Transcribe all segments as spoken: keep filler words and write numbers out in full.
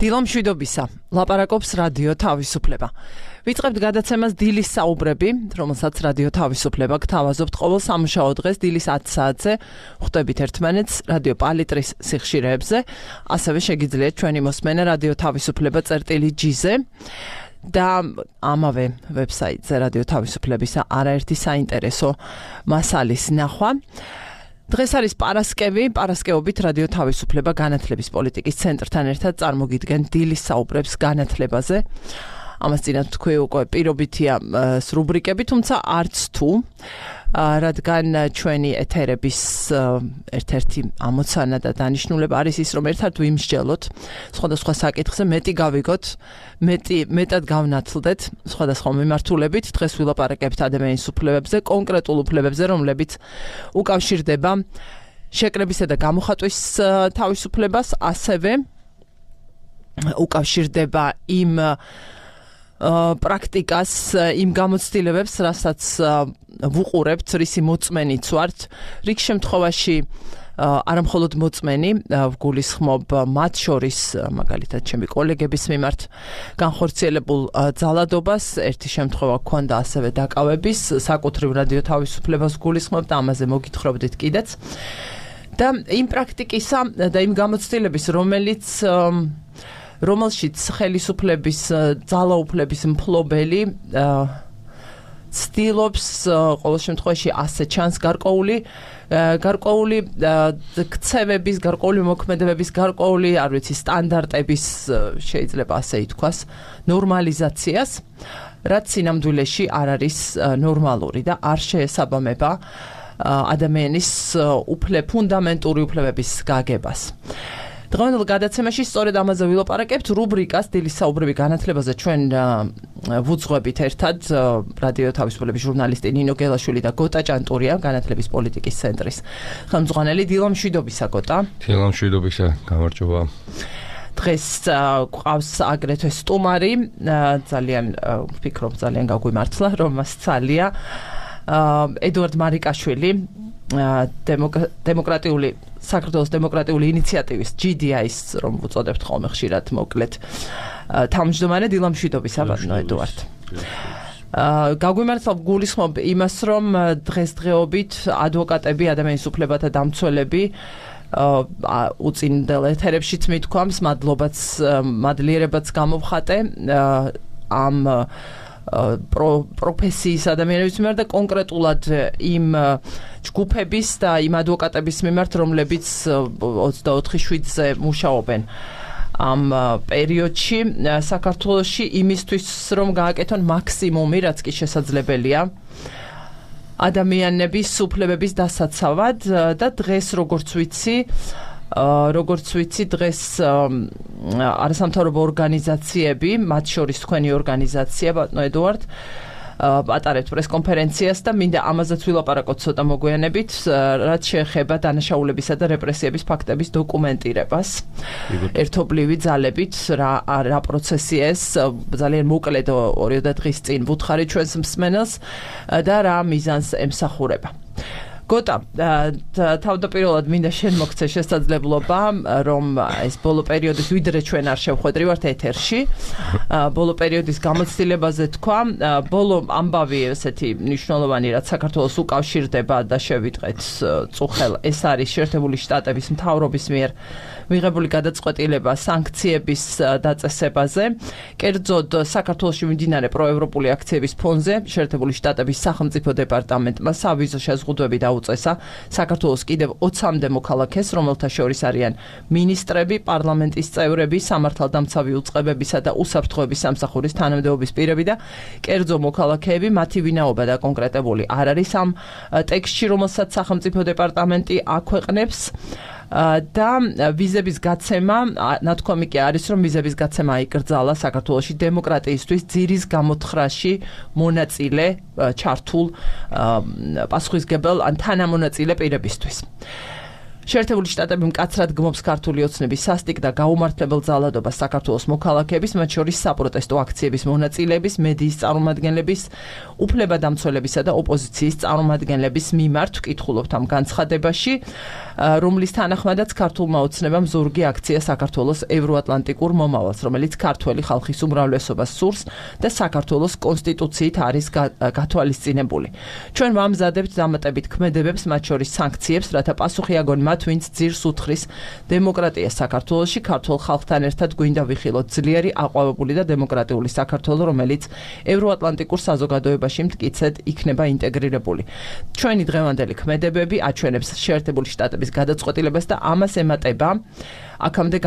დილო მშვიდობისა, ლაპარაკობს რადიო თავისუფლება. ვიწყებთ გადაცემას დილის საუბრები, რომელსაც რადიო თავისუფლება გთავაზობთ ყოველ სამუშაო დღეს დილის ათი საათზე, ხვდებით ერთმანეთს რადიო პალიტრის სიხშირეებზე, ასევე შეგიძლიათ ჩვენი მოსმენა რადიო თავისუფლება წერტილი ჯი-ზე და ამავე ვებსაიტზე რადიო თავისუფლებისა არაერთი საინტერესო მასალის ნახვა. დღეს არის პარასკევი, პარასკევობით რადიო თავისუფლება განათლების პოლიტიკის ცენტრთან ერთად წარმოგიდგენ დილის საუბრებს განათლებაზე. ამას წინათ თქვი უკვე პირობითია რუბრიკები, თუმცა არც თუ, რადგან ჩვენი ეთერების ერთ-ერთი ამოცანა და დანიშნულება არის ის, რომ ერთად ვიმსჯელოთ სხვადასხვა საკითხზე, მეტი გავიგოთ, მეტი მეტად გავნათლდეთ სხვადასხვა მიმართულებით. დღეს ვილაპარაკებთ ადამიანის უფლებებზე, კონკრეტულ უფლებებზე, რომლებიც უკავშირდება შეკრებისა და გამოხატვის თავისუფლებას, ასევე უკავშირდება იმ პრაქტიკას, იმ გამოცდილებებს, რასაც ვუყურებთ, რისი მოწმენიც ვართ. რიგ შემთხვევაში არა მხოლოდ მოწმენი, ვგულისხმობ მათ შორის, მაგალითად, ჩემი კოლეგების მიმართ განხორციელებულ ძალადობას, ერთი შემთხვევა ჰქონდა ასევე დაკავების, საკუთრივ რადიო თავისუფლებას ვგულისხმობ და ამაზე მოგითხრობდით კიდეც. და იმ პრაქტიკისა და იმ გამოცდილების, რომელიც რომელშიც ხელისუფლების ძალაუფლების მფლობელი ცდილობს ყოველ შემთხვევაში ასე ჩანს გარკვეული გარკვეული ქცევების, გარკვეული მოქმედებების, გარკვეული, არ ვიცი, სტანდარტების, შეიძლება ასე ითქვას, ნორმალიზაციას, რაც სინამდვილეში არ არის ნორმალური და არ შეესაბამება ადამიანის უფლებ ფუნდამენტური უფლებების გაგებას. დღევანდელ გადაცემაში სწორედ ამაზე ვილაპარაკებთ რუბრიკას დილის საუბრები განათლებაზე ჩვენ ვუძღვებით ერთად რადიო თავისუფლების ჟურნალისტი ნინო გელაშვილი და გოტა ჭანტურია განათლების პოლიტიკის ცენტრის ხელმძღვანელი. დილო მშვიდობისა გოტა. დილო მშვიდობისა, გამარჯობა. დღეს გვყავს აგრეთვე სტუმარი, ძალიან ვფიქრობ ძალიან გაგვიმართლა რომ მას ცალია ედუარდ მარიკაშვილი, დემოკრატიული საქართველოს დემოკრატიული ინიციატივის ჯი დი აის, რომ ვუწოდებთ ხოლმე ხშირად მოკლედ თავმჯდომარე. დილო მშვიდობისა, ბატონო ედუარდ. გაგვიმართლა ვგულისხმობ იმას, რომ დღესდღეობით ადვოკატები, ადამიანის უფლებათა დამცველები უწინდელ ეთერებშიც მithქვამს, მადლობაც, მადლიერებაც გამოვხატე ამ პროფესიის ადამიანების მიმართ და კონკრეტულად იმ ჯგუფების და იმ ადვოკატების მიმართ, რომლებიც ოცდაოთხი შვიდზე მუშაობენ ამ პერიოდში საქართველოში იმისთვის, რომ გააკეთონ მაქსიმუმი, რაც კი შესაძლებელია ადამიანების უფლებების დასაცავად და დღეს, როგორც ვიცი, როგორც ვიცი, დღეს არასამთავრობო ორგანიზაციები, მათ შორის თქვენი ორგანიზაცია, ბატონო ედუარდ, ატარებთ პრესკონფერენციას და მინდა ამაზეც ვილაპარაკოთ ცოტა მოგვიანებით, რაც შეეხება დანაშაულებისა და რეპრესიების ფაქტების დოკუმენტირებას. ერთობლივი ძალებით რა რა პროცესია ეს, ძალიან მოკლედ ორიოდე დღის წინ ვუთხარი ჩვენს მსმენელს და რა მიზანს ემსახურება. გოტა, თავდაპირველად მინდა შენ მოგცე შესაძლებლობა, რომ ეს ბოლო პერიოდის ვიდრე ჩვენ არ შევხვედრივართ ეთერში, ბოლო პერიოდის გამოცდილებაზე თქვა, ბოლო ამბავი ესეთი მნიშვნელოვანი, რაც საქართველოს უკავშირდება და შევიტყეთ წუხელ, ეს არის შეერთებული შტატების მთავრობის მიერ მიღებული გადაწყვეტილება სანქციების დაწესებაზე. კერძოდ საქართველოში მიმდინარე პროევროპული აქციების ფონზე შეერთებული შტატების სახელმწიფო დეპარტამენტმა სავიზო შეზღუდვები დაუწესა საქართველოს კიდევ ოცამდე მოქალაქეს, რომელთა შორის არიან მინისტრები, პარლამენტის წევრები, სამართალდამცავი უწყებებისა და უსაფრთხოების სამსახურის თანამდებობის პირები და კერძო მოქალაქეები, მათი ვინაობა დაკონკრეტებული არ არის ამ ტექსტში, რომელსაც სახელმწიფო დეპარტამენტი აქვეყნებს. და ვიზების გაცემა, ნათქვამი კი არის, რომ ვიზების გაცემა იკრძალა საქართველოში დემოკრატიისთვის ძირის გამოთხრაში მონაწილე ჩართულ პასუხისმგებელ ან თანამონაწილე პირებისთვის. შეერთებული შტატები მკაცრად გმობს ქართული ოცნების სასტიკ და გაუმართლებელ ძალადობას საქართველოს მოქალაქეების, მათ შორის საპროტესტო აქციების მონაწილეების, მედიის წარმომადგენლების, უფლებადამცველებისა და ოპოზიციის წარმომადგენლების მიმართ ვკითხულობთ ამ განცხადებაში, რომლის თანახმადაც ქართულმა ოცნებამ ზურგი აქცია საქართველოს ევროატლანტიკურ მომავალს, რომელიც ქართველი ხალხის უმრავლესობას სურს და საქართველოს კონსტიტუციით არის გათვალისწინებული. ჩვენ ვამზადებთ დამატებით ქმედებებს, მათ შორის სანქციებს, რათა პასუხი აგონ მათ, ვინც ძირს უთხრის დემოკრატიას საქართველოში, ქართულ ხალხთან ერთად გვინდა ვიხილოთ ძლიერი, აყვავებული და დემოკრატიული საქართველო, რომელიც ევროატლანტიკურ საზოგადოებაში მტკიცედ იქნება ინტეგრირებული. ჩვენი დღევანდელი ქმედებები აჩვენებს შეერთებული შტატების გადაწყვეტილებას და ამას ემატება აქამდე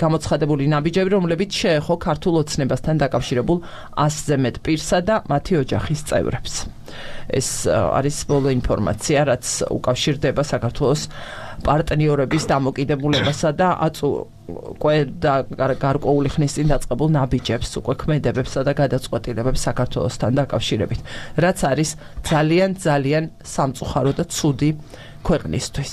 გამოცხადებული ნაბიჯები, რომლებიც შეეხო ქართულ ოცნებასთან დაკავშირებულ ასზე მეტ პირსა და მათი ოჯახის წევრებს. ეს არის ბოლო ინფორმაცია, რაც უკავშირდება საქართველოს პარტნიორების დამოკიდებულებასა და უკვე გარკვეული ხნის წინ დაწყებულ ნაბიჯებს, უკვე ქმედებებსა და გადაწყვეტილებებს საქართველოსთან დაკავშირებით, რაც არის ძალიან ძალიან სამწუხარო და ცუდი ქვეყნისთვის.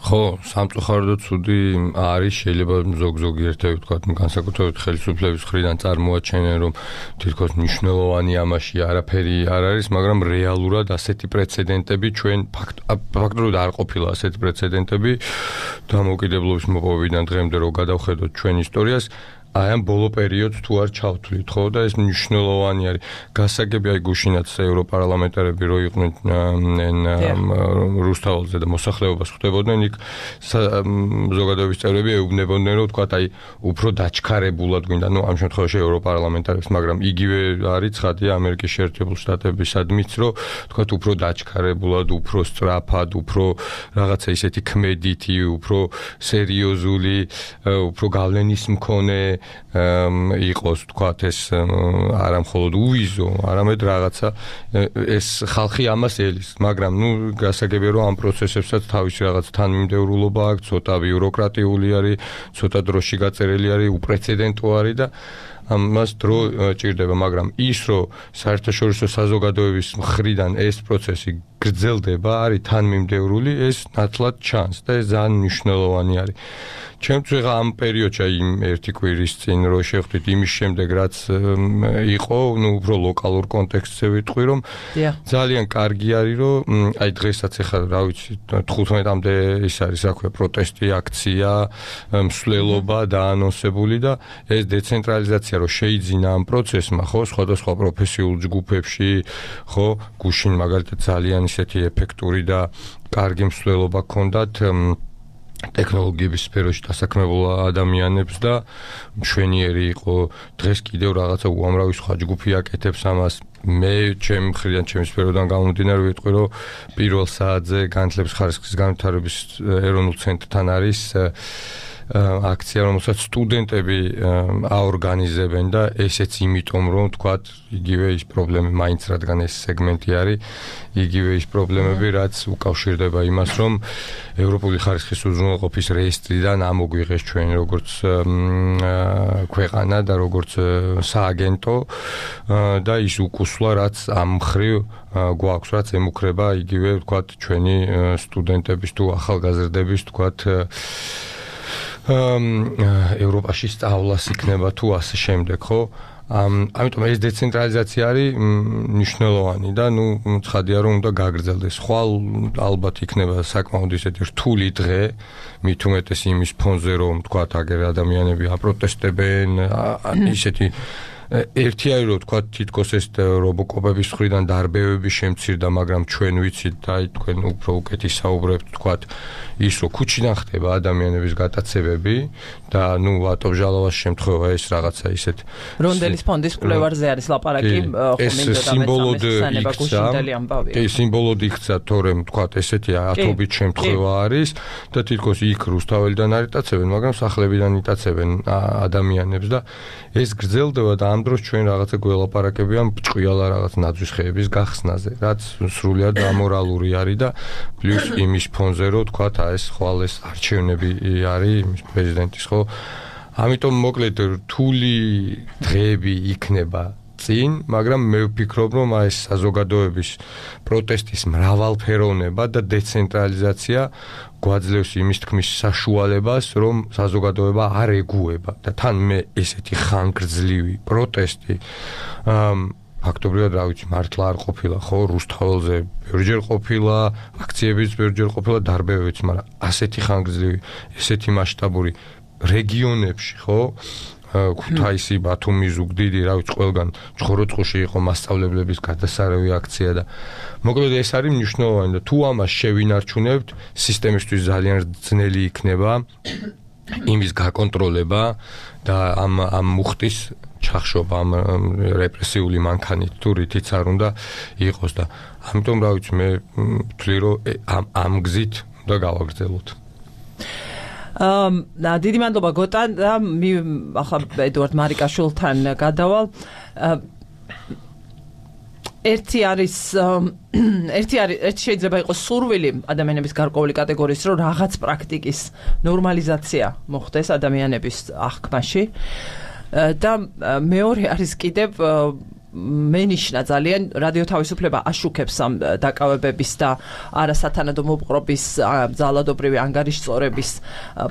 ხო, სამწუხარო და ცუდი არის, შეიძლება ზოგ-ზოგი ერთები თქვა, განსაკუთრებით ხელისუფლების მხრიდან წარმოაჩენენ, რომ თითქოს მნიშვნელოვანი ამაში არაფერი არ არის, მაგრამ რეალურად ასეთი პრეცედენტები ჩვენ ფაქტობრივად არ ყოფილა ასეთი პრეცედენტები დამოუკიდებლობის მოპოვებიდან დღემდე რო გადავხედოთ ჩვენ ისტორიას, აი ამ ბოლო პერიოდს თუ არ ჩავთვლით, ხო, და ეს მნიშვნელოვანი არის. გასაგები აი გუშინაც ევროპარლამენტარები რო იყვნენ რუსთაველზე და მოსახლეობას ხვდებოდნენ, იქ ზოგადოების წევრები ეუბნებოდნენ, რომ თქვა აი უფრო დაჩქარებულად გვინდა, ну ამ შემთხვევაში ევროპარლამენტარებს, მაგრამ იგივე არის ცხადია ამერიკის შეერთებულ შტატებისადმიც, რომ თქვა უფრო დაჩქარებულად, უფრო სწრაფად, უფრო რაღაცა ისეთი ქმედითი, უფრო სერიოზული, უფრო გავლენის მქონე იყოს თქვათ ეს არა მხოლოდ უვიზო, არამედ რაღაცა ეს ხალხი ამას ელის, მაგრამ ნუ გასაგებია რომ ამ პროცესებსაც თავისი რაღაც თანმიმდევრულობა აქვს, ცოტა ბიუროკრატიული არის, ცოტა დროში გაწერილი არის, უპრეცედენტო არის და ამას დრო ჭირდება, მაგრამ ის რომ საერთაშორისო საზოგადოების მხრიდან ეს პროცესი გრძელდება, არის თანმიმდევრული, ეს ნათლად ჩანს და ეს ძალიან მნიშვნელოვანი არის. ჩემთვის ამ პერიოდში იმ ერთი კვირის წინ რო შევხვდით იმის შემდეგ რაც იყო, ну უფრო ლოკალურ კონტექსტზე ვიტყვი, რომ ძალიან კარგი არის, რომ აი დღესაც ახლა რა ვიცი თხუთმეტამდე ის არის, რა ქვია, პროტესტი, აქცია, მსვლელობა დაანონსებული და ეს დეცენტრალიზაცია რო შეიძინა ამ პროცესმა, ხო, სხვადასხვა პროფესიულ ჯგუფებში, ხო, გუშინ მაგალითად ძალიან ისეთი ეფექტური და კარგი მსვლელობა ჰქონდათ ტექნოლოგიების სფეროში დასაქმებულ ადამიანებს და მშვენიერი იყო დღეს კიდევ რაღაცა უამრავი სხვა ჯგუფი აკეთებს ამას. მე ჩემი მხრიდან, ჩემი სფეროდან გამომდინარე ვიტყვი, რომ პირველ საათზე განათლების ხარისხის განვითარების ეროვნულ ცენტრთან არის აქცია, რომელსაც სტუდენტები აორგანიზებენ და ესეც იმიტომ, რომ თქვათ, იგივე ის პრობლემები, მაინც რადგან ეს სეგმენტი არის, იგივე ის პრობლემები, რაც უკავშირდება იმას, რომ ევროპული ხარისხის უზრუნველყოფის რეესტრიდან ამოგვიღეს ჩვენ როგორც ქვეყანა და როგორც სააგენტო და ის უკუსვლა, რაც ამ მხრივ გვაქვს, რაც ემუქრება იგივე, თქვათ, ჩვენი სტუდენტების თუ ახალგაზრდების, თქვათ, ევროპაში სწავლას იქნება თუ ასე შემდეგ, ხო? ამიტომ ეს დეცენტრალიზაცია არის მნიშვნელოვანი და ნუ ცხადია რომ უნდა გაგრძელდეს. ხვალ ალბათ იქნება საკმაოდ ისეთი რთული დღე, მით უმეტეს იმის ფონზე, რომ თქვათ აგერ ადამიანები აპროტესტებენ, ისეთი ერთი არის რომ თქვა თითქოს ეს რობოკოპების მხრიდან დარბევები შემცირდა, მაგრამ ჩვენ ვიცით და აი თქვენ უფრო უკეთი საუბრებთ, თქვა ის რომ ქუჩიდან ხდება ადამიანების გატაცებები და ნუ ატომჟალოვას შემთხვევა ეს რაღაცა ისეთ რონდელის ფონდის კვლევარზე არის ლაპარაკი, ეს სიმბოლოდ იქცა, ეს სიმბოლოდ იქცა, თორემ თქვა ესეთი ათობით შემთხვევა არის და თითქოს იქ რუსთაველიდან არ იტაცებენ, მაგრამ სახლებიდან იტაცებენ ადამიანებს და ეს გრძელდება და ამ დროს ჩვენ რაღაცა გველაპარაკებიან ბრჭყვიალა რაღაც ნაძვის ხეების გახსნაზე, რაც სრულიად ამორალური არის და პლუს იმის ფონზე რომ თქვათ ეს ხვალ ეს არჩევნები არის იმის პრეზიდენტის, ხო? ამიტომ მოკლედ რთული დღეები იქნება წინ, მაგრამ მე ვფიქრობ, რომ აი ეს საზოგადოების პროტესტის მრავალფეროვნება და დეცენტრალიზაცია გვაძლევს იმის თქმის საშუალებას, რომ საზოგადოება არ ეგუება და თან მე ესეთი ხანგრძლივი პროტესტი ფაქტობრივად რა ვიცი, მართლა არ ყოფილა, ხო, რუსთაველზე ბევრჯერ ყოფილა, აქციებიც ბევრჯერ ყოფილა, დარბევებიც, მაგრამ ასეთი ხანგრძლივი, ესეთი მასშტაბური რეგიონებში, ხო, ქუთაისი, ბათუმი, ზუგდიდი, რა ვიცი, ყველგან ჩხოროწყუში იყო მასწავლებლების გადასარევი აქცია და მოკლედ ეს არის მნიშვნელოვანი და თუ ამას შევინარჩუნებთ, სისტემისთვის ძალიან ძნელი იქნება იმის გაკონტროლება და ამ ამ მუხტის ჩახშობა, ამ რეპრესიული მანქანით თუ რითიც არ უნდა იყოს და ამიტომ რა ვიცი, მე ვთვლი, რომ ამ ამ გზით უნდა გავაგრძელოთ. ამ დიდი მადლობა გოტან და ახლა ედუარდ მარიკაშვილთან გადავალ. ერთი არის ერთი არის ერთი შეიძლება იყოს სურვილი ადამიანების გარკვეული კატეგორიის, რომ რაღაც პრაქტიკის ნორმალიზაცია მოხდეს ადამიანების აღქმაში და მეორე არის კიდევ მენიშნა ძალიან რადიო თავისუფლება აშუქებს ამ დაკავებების და არასათანადო მოპყრობის ძალადობრივი ანგარიშწორების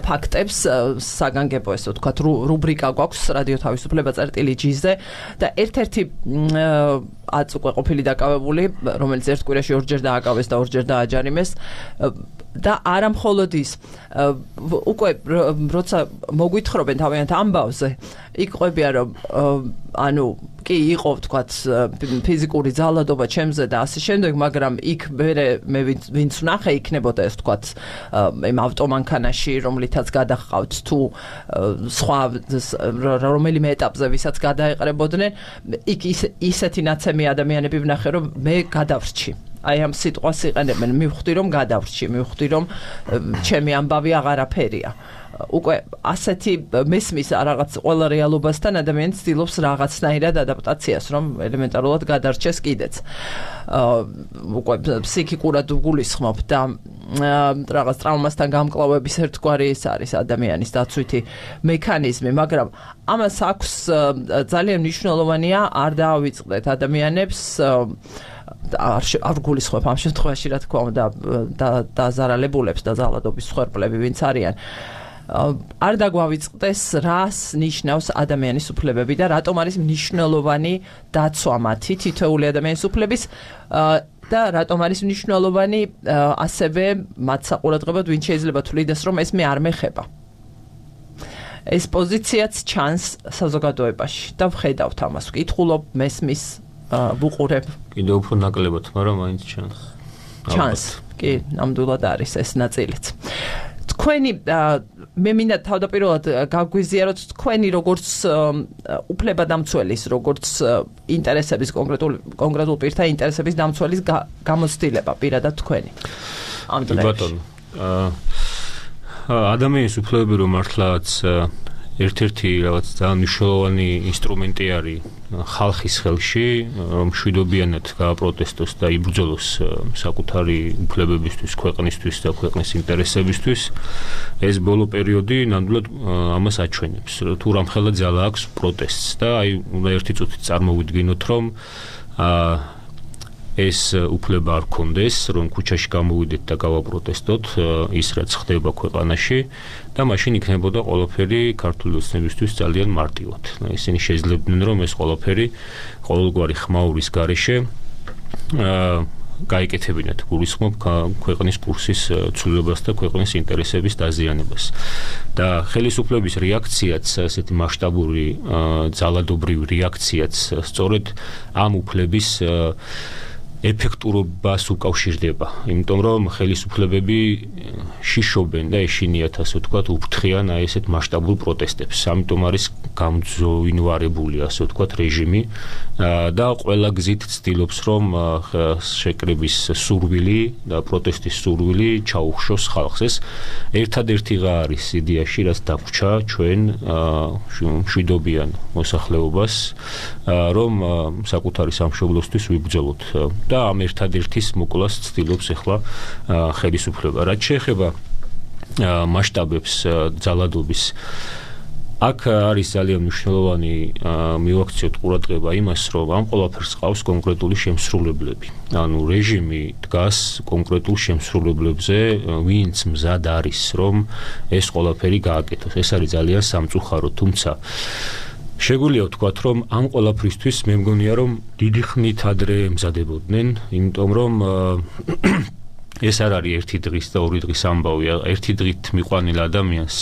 ფაქტებს საგანგებო ესე ვთქვათ რუბრიკა გვაქვს რადიო თავისუფლება წერტილი ჯი-ზე და ერთ-ერთი აც უკვე ყოფილი დაკავებული რომელიც ერთ კვირაში ორჯერ დააკავეს და ორჯერ დააჯარიმეს და არა მხოლოდ ის უკვე როცა მოგვითხრობენ თავიანთ ამბავზე იქ ყვებიან რომ ანუ კი იყო ვთქვათ ფიზიკური ძალადობა ჩემზე და ასე შემდეგ მაგრამ იქ მე ვინც ვნახე იქნებოდა ეს ვთქვათ იმ ავტომანქანაში რომლითაც გადახავთ თუ სხვა რომელიმე ეტაპზე ვისაც გადაეყრებოდნენ იქ ისეთი ნაცემი ადამიანები ვნახე რომ მე გადავრჩი აი ამ სიტყვას იყენებენ მივხვდი რომ გადავრჩი მივხვდი რომ ჩემი ამბავი აღარაფერია უკვე ასეთი მესმის რაღაც ყველა რეალობასთან ადამიანი ცდილობს რაღაცნაირად ადაპტაციას რომ ელემენტარულად გადარჩეს კიდეც უკვე ფსიქიკურად გულისხმობ და რაღაც ტრავმასთან გამკლავების ერთგვარი ის არის ადამიანის დაცვითი მექანიზმი მაგრამ ამას აქვს ძალიან მნიშვნელოვანია არ დაავიწყდეთ ადამიანებს არ არ გულისხმობ ამ შემთხვევაში რა თქმა უნდა და დაზარალებულებს და ძალადობის მსხვერპლები ვინც არიან არ დაგვავიწყდეს რას ნიშნავს ადამიანის უფლებები და რატომ არის მნიშვნელოვანი დაცვა მათი თითოეული ადამიანის უფლების და რატომ არის მნიშვნელოვანი ასევე მათ საყურადღებოდ ვინ შეიძლება თვლიდეს რომ ეს მე არ მეხება ეს პოზიციაც ჩანს საზოგადოებაში და ვხედავთ ამას ვკითხულობ მესმის ვუყურებ კიდევ უფრო ნაკლებად მაგრამ მაინც ჩანს ჩანს კი ნამდვილად არის ეს ნაწილიც თქვენი მე მინდა თავდაპირველად გაგვიზიაროთ თქვენი როგორც უფლებადამცველის როგორც ინტერესების კონკრეტულ კონკრეტულ პირთა ინტერესების დამცველის გამოცდილება პირადად თქვენი ამ დროებში ადამიანის უფლებები რომ მართლაც ერთ-ერთი რაღაც ძალიან მნიშვნელოვანი ინსტრუმენტი არის ხალხის ხელში, რომ მშვიდობიანად გააპროტესტოს და იბრძოლოს საკუთარი უფლებებისთვის, ქვეყნისთვის და ქვეყნის ინტერესებისთვის. ეს ბოლო პერიოდი ნამდვილად ამას აჩვენებს. თუ რამხელა ძალა აქვს პროტესტს და აი უნდა ერთი წუთით წარმოვიდგინოთ, რომ ეს უფლება არ კონდეს, რომ ქუჩაში გამოვიდეთ და გავაპროტესტოთ ის რაც ხდება ქვეყანაში და მაშინ იქნებოდა ყველაფერი ქართული ოცნებისთვის ძალიან მარტივად. ისინი შეძლებდნენ რომ ეს ყველაფერი ყოველგვარი ხმაურის გარეშე გაიკეთებინათ გულისხმობ ქვეყნის კურსის ცვლილებას და ქვეყნის ინტერესების დაზიანებას. და ხელისუფლების რეაქციაც, ასეთი მასშტაბური ძალადობრივი რეაქციაც სწორედ ამ უფლების ეფექტურობას უკავშირდება, იმიტომ რომ ხელისუფლებები შიშობენ და ეშინიათ ასე ვთქვათ უფრთხიან აი ესეთ მასშტაბურ პროტესტებს. ამიტომ არის გამძვინვარებული ასე ვთქვათ რეჟიმი და ყველა გზით ცდილობს რომ შეკრების სურვილი და პროტესტის სურვილი ჩაუხშოს ხალხს. ეს ერთადერთიღა არის იდეაში რაც დაგვრჩა ჩვენ მშვიდობიან მოსახლეობას რომ საკუთარი სამშობლოსთვის ვიბრძოლოთ. და ამ ერთადერთის მოკვლას ცდილობს ახლა ხელისუფლება. რაც შეეხება მასშტაბებს ძალადობის აქ არის ძალიან მნიშვნელოვანი მივაქციოთ ყურადღება იმას, რომ ამ ყველაფერს ყავს კონკრეტული შემსრულებლები. ანუ რეჟიმი დგას კონკრეტულ შემსრულებლებზე, ვინც მზად არის, რომ ეს ყველაფერი გააკეთოს. ეს არის ძალიან სამწუხარო, თუმცა შეგვიძლია ვთქვათ, რომ ამ ყველაფრისთვის მე მგონია, რომ დიდი ხნით ადრე ემზადებოდნენ, იმიტომ რომ ეს არ არის ერთი დღის და ორი დღის ამბავი. ერთი დღით მიყვანილ ადამიანს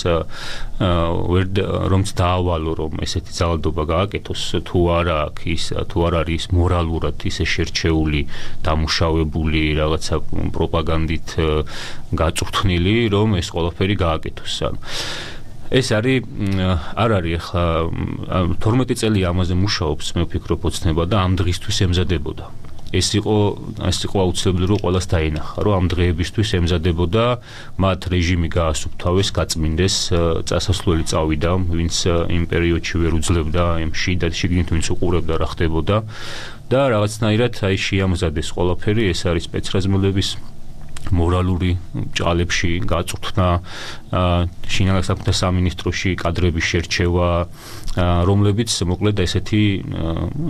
რომც დაავალო, რომ ესეთი ძალადობა გააკეთოს, თუ არა აქვს ის, თუ არ არის მორალურად ისე შერჩეული, დამუშავებული, რაღაცა პროპაგანდით გაწვრთნილი, რომ ეს ყველაფერი გააკეთოს. ეს არის არ არის ახლა თორმეტი წელი ამაზე მუშაობს, მე ვფიქრობ, ოცნება და ამ დღისთვის ემზადებოდა. ეს იყო ეს იყო აუცილებელი, რომ ყველას დაენახა, რომ ამ დღეებისთვის ემზადებოდა, მათ რეჟიმი გაასუფთავეს, გაწმინდეს, წასასვლელი წავიდა, ვინც იმ პერიოდში ვერ უძლებდა, იმ შიდა შიგნით ვინც უყურებდა რა ხდებოდა და რაღაცნაირად აი შეამზადეს ყველაფერი. ეს არის სპეცრაზმელების მორალური ჭალებში გაწვრთნა, შინაგან საქმეთა სამინისტროში კადრების შერჩევა, რომლებიც მოკლედ ესეთი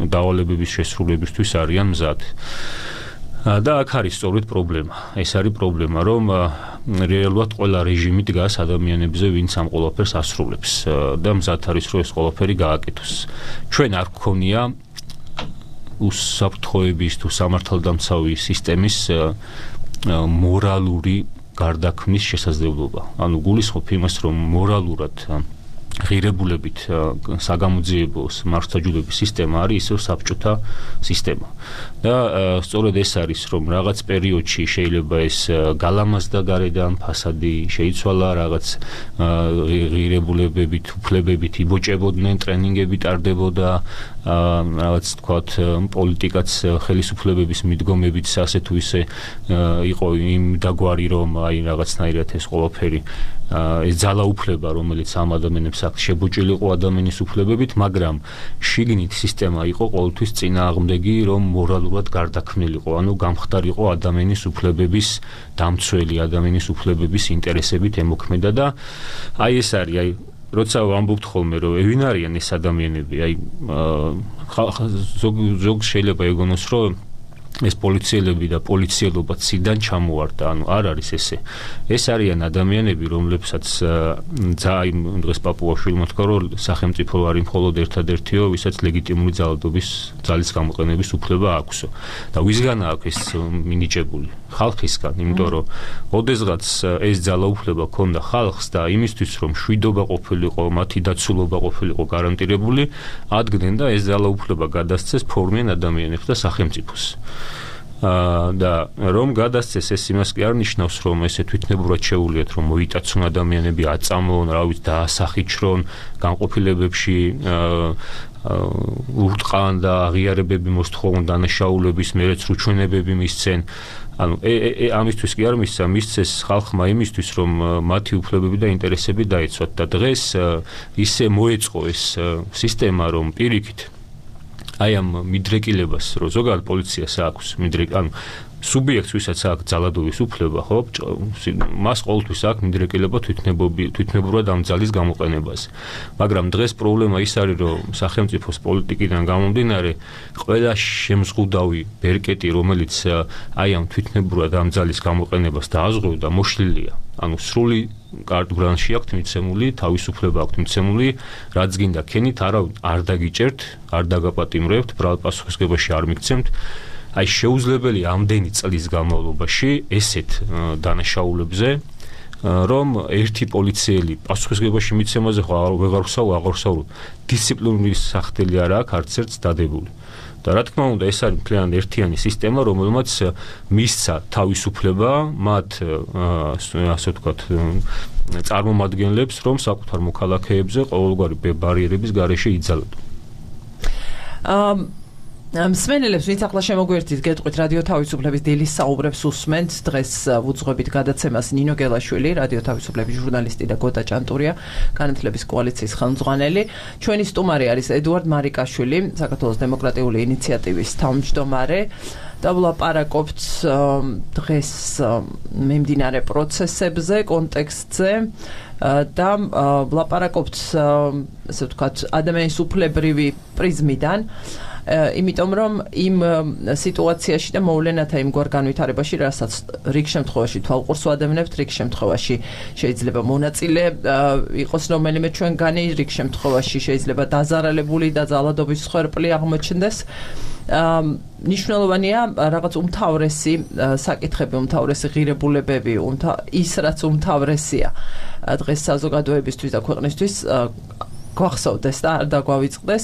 დავალებების შესრულებისთვის არიან მზად. და აქ არის სწორედ პრობლემა. ეს არის პრობლემა, რომ რეალურად ყველა რეჟიმი დგას ადამიანებზე, ვინც ამ ყველაფერს ასრულებს და მზად არის, რომ ეს ყველაფერი გააკეთოს. ჩვენ არ გქონია უსაფრთხოების თუ სამართალდამცავი სისტემის მორალური გარდაქმნის შესაძლებლობა. ანუ გულისხმობ იმას, რომ მორალურად ღირებულებით საგამოძიებო მართლმსაჯულების სისტემა არის ისევ საბჭოთა სისტემა. და სწორედ ეს არის, რომ რაღაც პერიოდში შეიძლება ეს გალამაზდა გარედან ფასადი შეიცვალა, რაღაც ღირებულებებით, უფლებებით იბოჭებოდნენ, ტრენინგები ტარდებოდა, რაღაც თქვათ პოლიტიკაც ხელისუფლებების მიდგომებით ასე თუ ისე იყო იმ დაგვარი, რომ აი რაღაცნაირად ეს ყველაფერი ეს ძალაუფლება, რომელიც ამ ადამიანებს აქვს შებოჭილიყო ადამიანის უფლებებით, მაგრამ შიგნით სისტემა იყო ყოველთვის წინააღმდეგი, რომ მორალურად გარდაქმნილიყო, ანუ გამხდარიყო ადამიანის უფლებების დამცველი, ადამიანის უფლებების ინტერესებით ემოქმედა და აი ეს არის, აი როცა ვამბობთ ხოლმე, რომ ვინ არიან ეს ადამიანები, აი ზოგ ზოგ შეიძლება ეგონოს, რომ ეს პოლიციელები და პოლიციელობა ციდან ჩამოვარდა, ანუ არ არის ესე. ეს არიან ადამიანები, რომლებსაც ძალიან დღეს პაპუაშვილმა თქვა, რომ სახელმწიფო არის მხოლოდ ერთადერთიო, ვისაც ლეგიტიმური ძალადობის ძალის გამოყენების უფლება აქვსო. და ვისგან აქვს ეს მინიჭებული? ხალხისგან, იმიტომ რომ ოდესღაც ეს ძალაუფლება ქონდა ხალხს და იმისთვის, რომ შვიდობა ყოფილიყო, მათი დაცულობა ყოფილიყო გარანტირებული, ადგენენ და ეს ძალაუფლება გადასცეს ფორმიან ადამიანებს და სახელმწიფოს. და რომ გადასცეს ეს იმას კი არ ნიშნავს, რომ ესე თვითნებურად შეუულიათ, რომ მოიტაცონ ადამიანები, აწამონ, რა ვიცი, დაასახიჩრონ, განყოფილებებში ურტყან და აღიარებები მოსთხოვონ დანაშაულების, მერეც რუჩვენებები მისცენ. ანუ ამისთვის კი არ მისცა, მისცეს ხალხმა იმისთვის, რომ მათი უფლებები და ინტერესები დაეცვათ და დღეს ისე მოეწყო ეს სისტემა, რომ პირიქით აი ამ მიდრეკილებას, რომ ზოგადად პოლიციას აქვს მიდრეკ, ანუ სუბიექტს, ვისაც აქვს ძალადობის უფლება, ხო, მას ყოველთვის აქვს მიდრეკილება თვითნებურად ამ ძალის გამოყენებაზე. მაგრამ დღეს პრობლემა ის არის, რომ სახელმწიფოს პოლიტიკიდან გამომდინარე, ყველა შემზღუდავი ბერკეტი, რომელიც აი ამ თვითნებურად ამ ძალის გამოყენებას დააზღვევდა, მოშლილია. ანუ სრული კარტბრანში აქვს მიცემული, თავისუფლება აქვს მიცემული, რაც გინდა ქენით, არა არ დაგიჭერთ, არ დაგაპატიმრებთ, პასუხისმგებაში არ მიგცემთ. აი შეუძლებელი ამდენი წლის განმავლობაში ესეთ დანაშაულებზე, რომ ერთი პოლიციელი პასუხისმგებაში მიცემაზე ხო ვეღარ ვსაუბრ, აღარ ვსაუბრ, დისციპლინური სახდელი არ აქვს არც ერთს დადებული. და რა თქმა უნდა, ეს არის მთლიანი ერთიანი სისტემა, რომელმაც მისცა თავისუფლება მათ ასე ვთქვათ წარმომადგენლებს, რომ საკუთარ მოქალაქეებზე ყოველგვარი ბარიერების გარეშე იძალოდონ. მსმენელებს, ვინც ახლა შემოგვერთით, გეტყვით რადიო თავისუფლების დილის საუბრებს უსმენთ. დღეს ვუძღვებით გადაცემას ნინო გელაშვილი, რადიო თავისუფლების ჟურნალისტი და გოთა ჭანტურია, განათლების კოალიციის ხელმძღვანელი. ჩვენი სტუმარი არის ედუარდ მარიკაშვილი, საქართველოს დემოკრატიული ინიციატივის თავმჯდომარე. და ვლაპარაკობთ დღეს მიმდინარე პროცესებზე, კონტექსტზე და ვლაპარაკობთ, ასე ვთქვათ, ადამიანის უფლებრივი პრიზმიდან. იმიტომ რომ იმ სიტუაციაში და მოვლენათა იმგვარ განვითარებაში, რასაც რიგ შემთხვევაში თვალყურს ვადევნებთ, რიგ შემთხვევაში შეიძლება მონაწილე იყოს რომელიმე ჩვენგანი, რიგ შემთხვევაში შეიძლება დაზარალებული და ძალადობის მსხვერპლი აღმოჩნდეს. ნიშნულოვანია რაღაც უმთავრესი საკითხები, უმთავრესი ღირებულებები, ის რაც უმთავრესია დღეს საზოგადოებისთვის და ქვეყნისთვის გვახსოვდეს და არ დაგვავიწყდეს.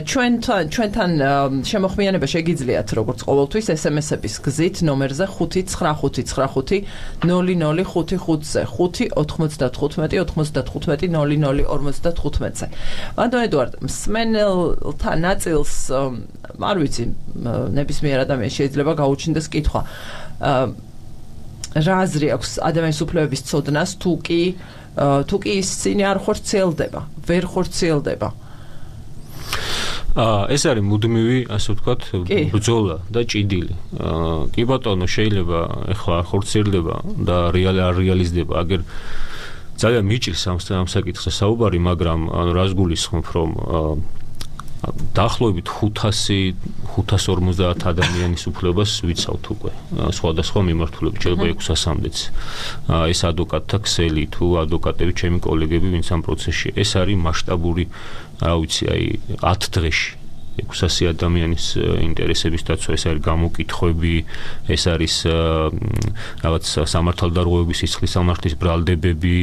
ჩვენთან ჩვენთან შემოხმიანება შეგიძლიათ როგორც ყოველთვის ესემესების გზით ნომერზე ხუთი ცხრა ხუთი ცხრა ხუთი ნული ნული ხუთი ხუთზე ხუთი ოთხმოცდათხუთმეტი ოთხმოცდათხუთმეტი ნული ნული ორმოცდათხუთმეტზე. ბატონ ედუარდ, მსმენელთა ნაწილს არ ვიცი, ნებისმიერ ადამიანს შეიძლება გაუჩნდეს კითხვა. რა აზრი აქვს ადამიანის უფლებების ცოდნას, თუ კი თუ კი ის წინი არ ხორციელდება, ვერ ხორციელდება? აა ეს არის მუდმივი, ასე ვთქვათ, ბრძოლა და ჭიდილი. აა კი ბატონო, შეიძლება ეხლა არ ხორციელდება და რეალი არ რეალიზდება, აგერ ძალიან მიჭირს ამ საკითხზე საუბარი, მაგრამ ანუ რას გულისხმობ, რომ დაახლოებით ხუთას ორმოცდაათ ადამიანის უფლებას ვიცავთ უკვე სხვადასხვა მიმართულებით, შეიძლება ექვსასამდეც. ეს ადვოკატთა ქსელი თუ ადვოკატები, ჩემი კოლეგები, ვინც ამ პროცესში, ეს არის მასშტაბური, რა ვიცი, აი ათ დღეში ექვსასი ადამიანის ინტერესების დაცვა, ეს არის გამოკითხვები, ეს არის რაღაც სამართალდარღვევების სისხლის სამართლის ბრალდებები,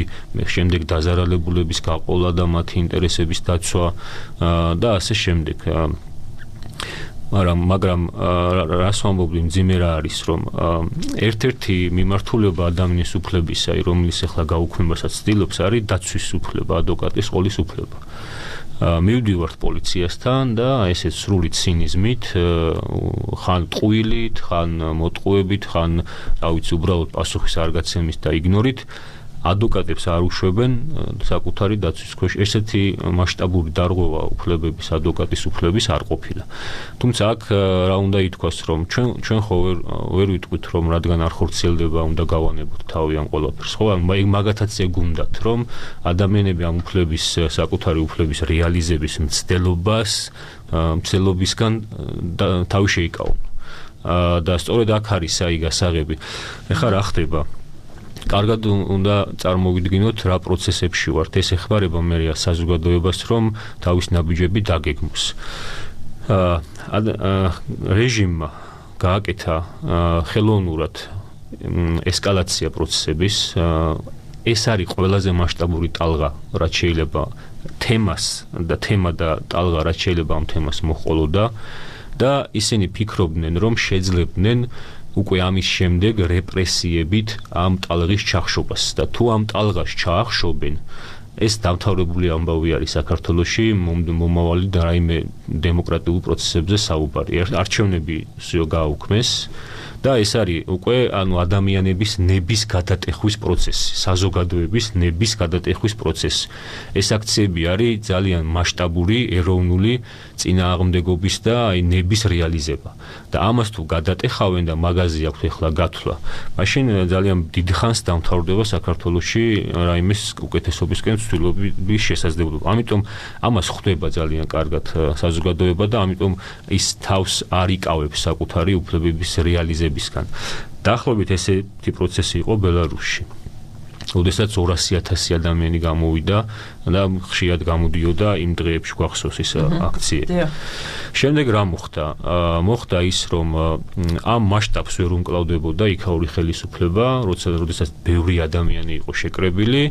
შემდეგ დაზარალებულების გაყოლა და მათი ინტერესების დაცვა და ასე შემდეგ. მაგრამ მაგრამ რას ვამბობდი, მძიმე რა არის, რომ ერთ-ერთი მიმართულება ადამიანის უფლებისა, რომლის ახლა გაუქმებასაც ცდილობს, არის დაცვის უფლება, ადვოკატის ყოლის უფლება. მივდივართ პოლიციასთან და ესეც სრული ცინიზმით, ხან ტყუილით, ხან მოტყუებით, ხან რა ვიცი, უბრალოდ პასუხის არ გაცემით და იგნორით ადვოკატებს არ უშვებენ საკუთარი დაცვის ქვეშ. ესეთი მასშტაბური დარღვევა უფლებების, ადვოკატის უფლების არ ყოფილა. თუმცა აქ რა უნდა ითქვას, რომ ჩვენ ჩვენ ხო ვერ ვერ ვიტყვით, რომ რადგან არ ხორციელდება, უნდა გავანებოთ თავი ამ ყველაფერს. ხო, მაგათაც ეგუნდათ, რომ ადამიანები ამ უფლების, საკუთარი უფლების რეალიზების მცდელობას, მცდელობისგან თავი შეიკავონ. და სწორედ აქ არის აი გასაღები. ეხლა რა ხდება? კარგად უნდა წარმოვიდგინოთ რა პროცესებში ვართ. ეს ეხმარება მე საზოგადოებას, რომ თავის ნაბიჯები დაგეგმოს. რეჟიმმა გააკეთა ხელოვნურად ესკალაცია პროცესების. ეს არის ყველაზე მასშტაბური ტალღა, რაც შეიძლება თემას და თემა და ტალღა, რაც შეიძლება ამ თემას მოჰყოლოდა და ისინი ფიქრობდნენ, რომ შეძლებდნენ უკვე ამის შემდეგ რეპრესიებით ამ ტალღის ჩახშობას და თუ ამ ტალღას ჩაახშობენ, ეს დამთავრებული ამბავი არის საქართველოში, მომავალი და რაიმე დემოკრატიულ პროცესებზე საუბარი. არჩევნები გააუქმეს და ეს არის უკვე ანუ ადამიანების ნების გადატეხვის პროცესი, საზოგადოების ნების გადატეხვის პროცესი. ეს აქციები არის ძალიან მასშტაბური, ეროვნული წინააღმდეგობის და აი ნების რეალიზება. და ამას თუ გადატეხავენ და მაგაზე აქვს ახლა გათვლა, მაშინ ძალიან დიდ ხანს დამთავრდება საქართველოში რაიმეს უკეთესობისკენ ცდილობის შესაძლებლობა. ამიტომ ამას ხვდება ძალიან კარგად საზოგადოება და ამიტომ ის თავს არ იკავებს საკუთარი უფლებების რეალიზებისგან. დაახლოებით ესეთი პროცესი იყო ბელარუსში. ოდესაც ორასი ათასი ადამიანი გამოვიდა და ხშირად გამოდიოდა იმ დღეებში, გვახსოვს ის აქციები. შემდეგ რა მოხდა? მოხდა ის, რომ ამ მასშტაბს ვერ უმკლავდებოდა იქაური ხელისუფლება, როცა როდესაც ბევრი ადამიანი იყო შეკრებილი,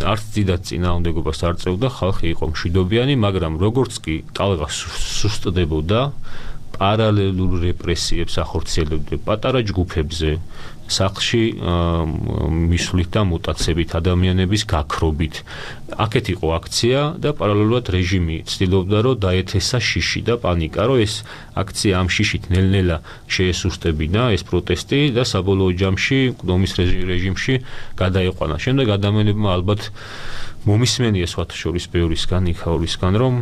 არც დიდად წინააღმდეგობას არ წევდა, ხალხი იყო მშვიდობიანი, მაგრამ როგორც კი ტალღა სუსტდებოდა, პარალელურ რეპრესიებს ახორციელებდა პატარა ჯგუფებზე, სახლში მისვლით და მუტაცებით, ადამიანების გაქრობით. აქეთ იყო აქცია და პარალელურად რეჟიმი ცდილობდა, რომ დაეთესა შიში და პანიკა, რომ ეს აქცია ამ შიშით ნელ-ნელა შეესუსტებინა ეს პროტესტი და საბოლოო ჯამში ომის რეჟიმში გადაიყვანა. შემდეგ ადამიანებმა ალბათ მომისმენია სხვათა შორის ბევრისგან, იქაურისგან, რომ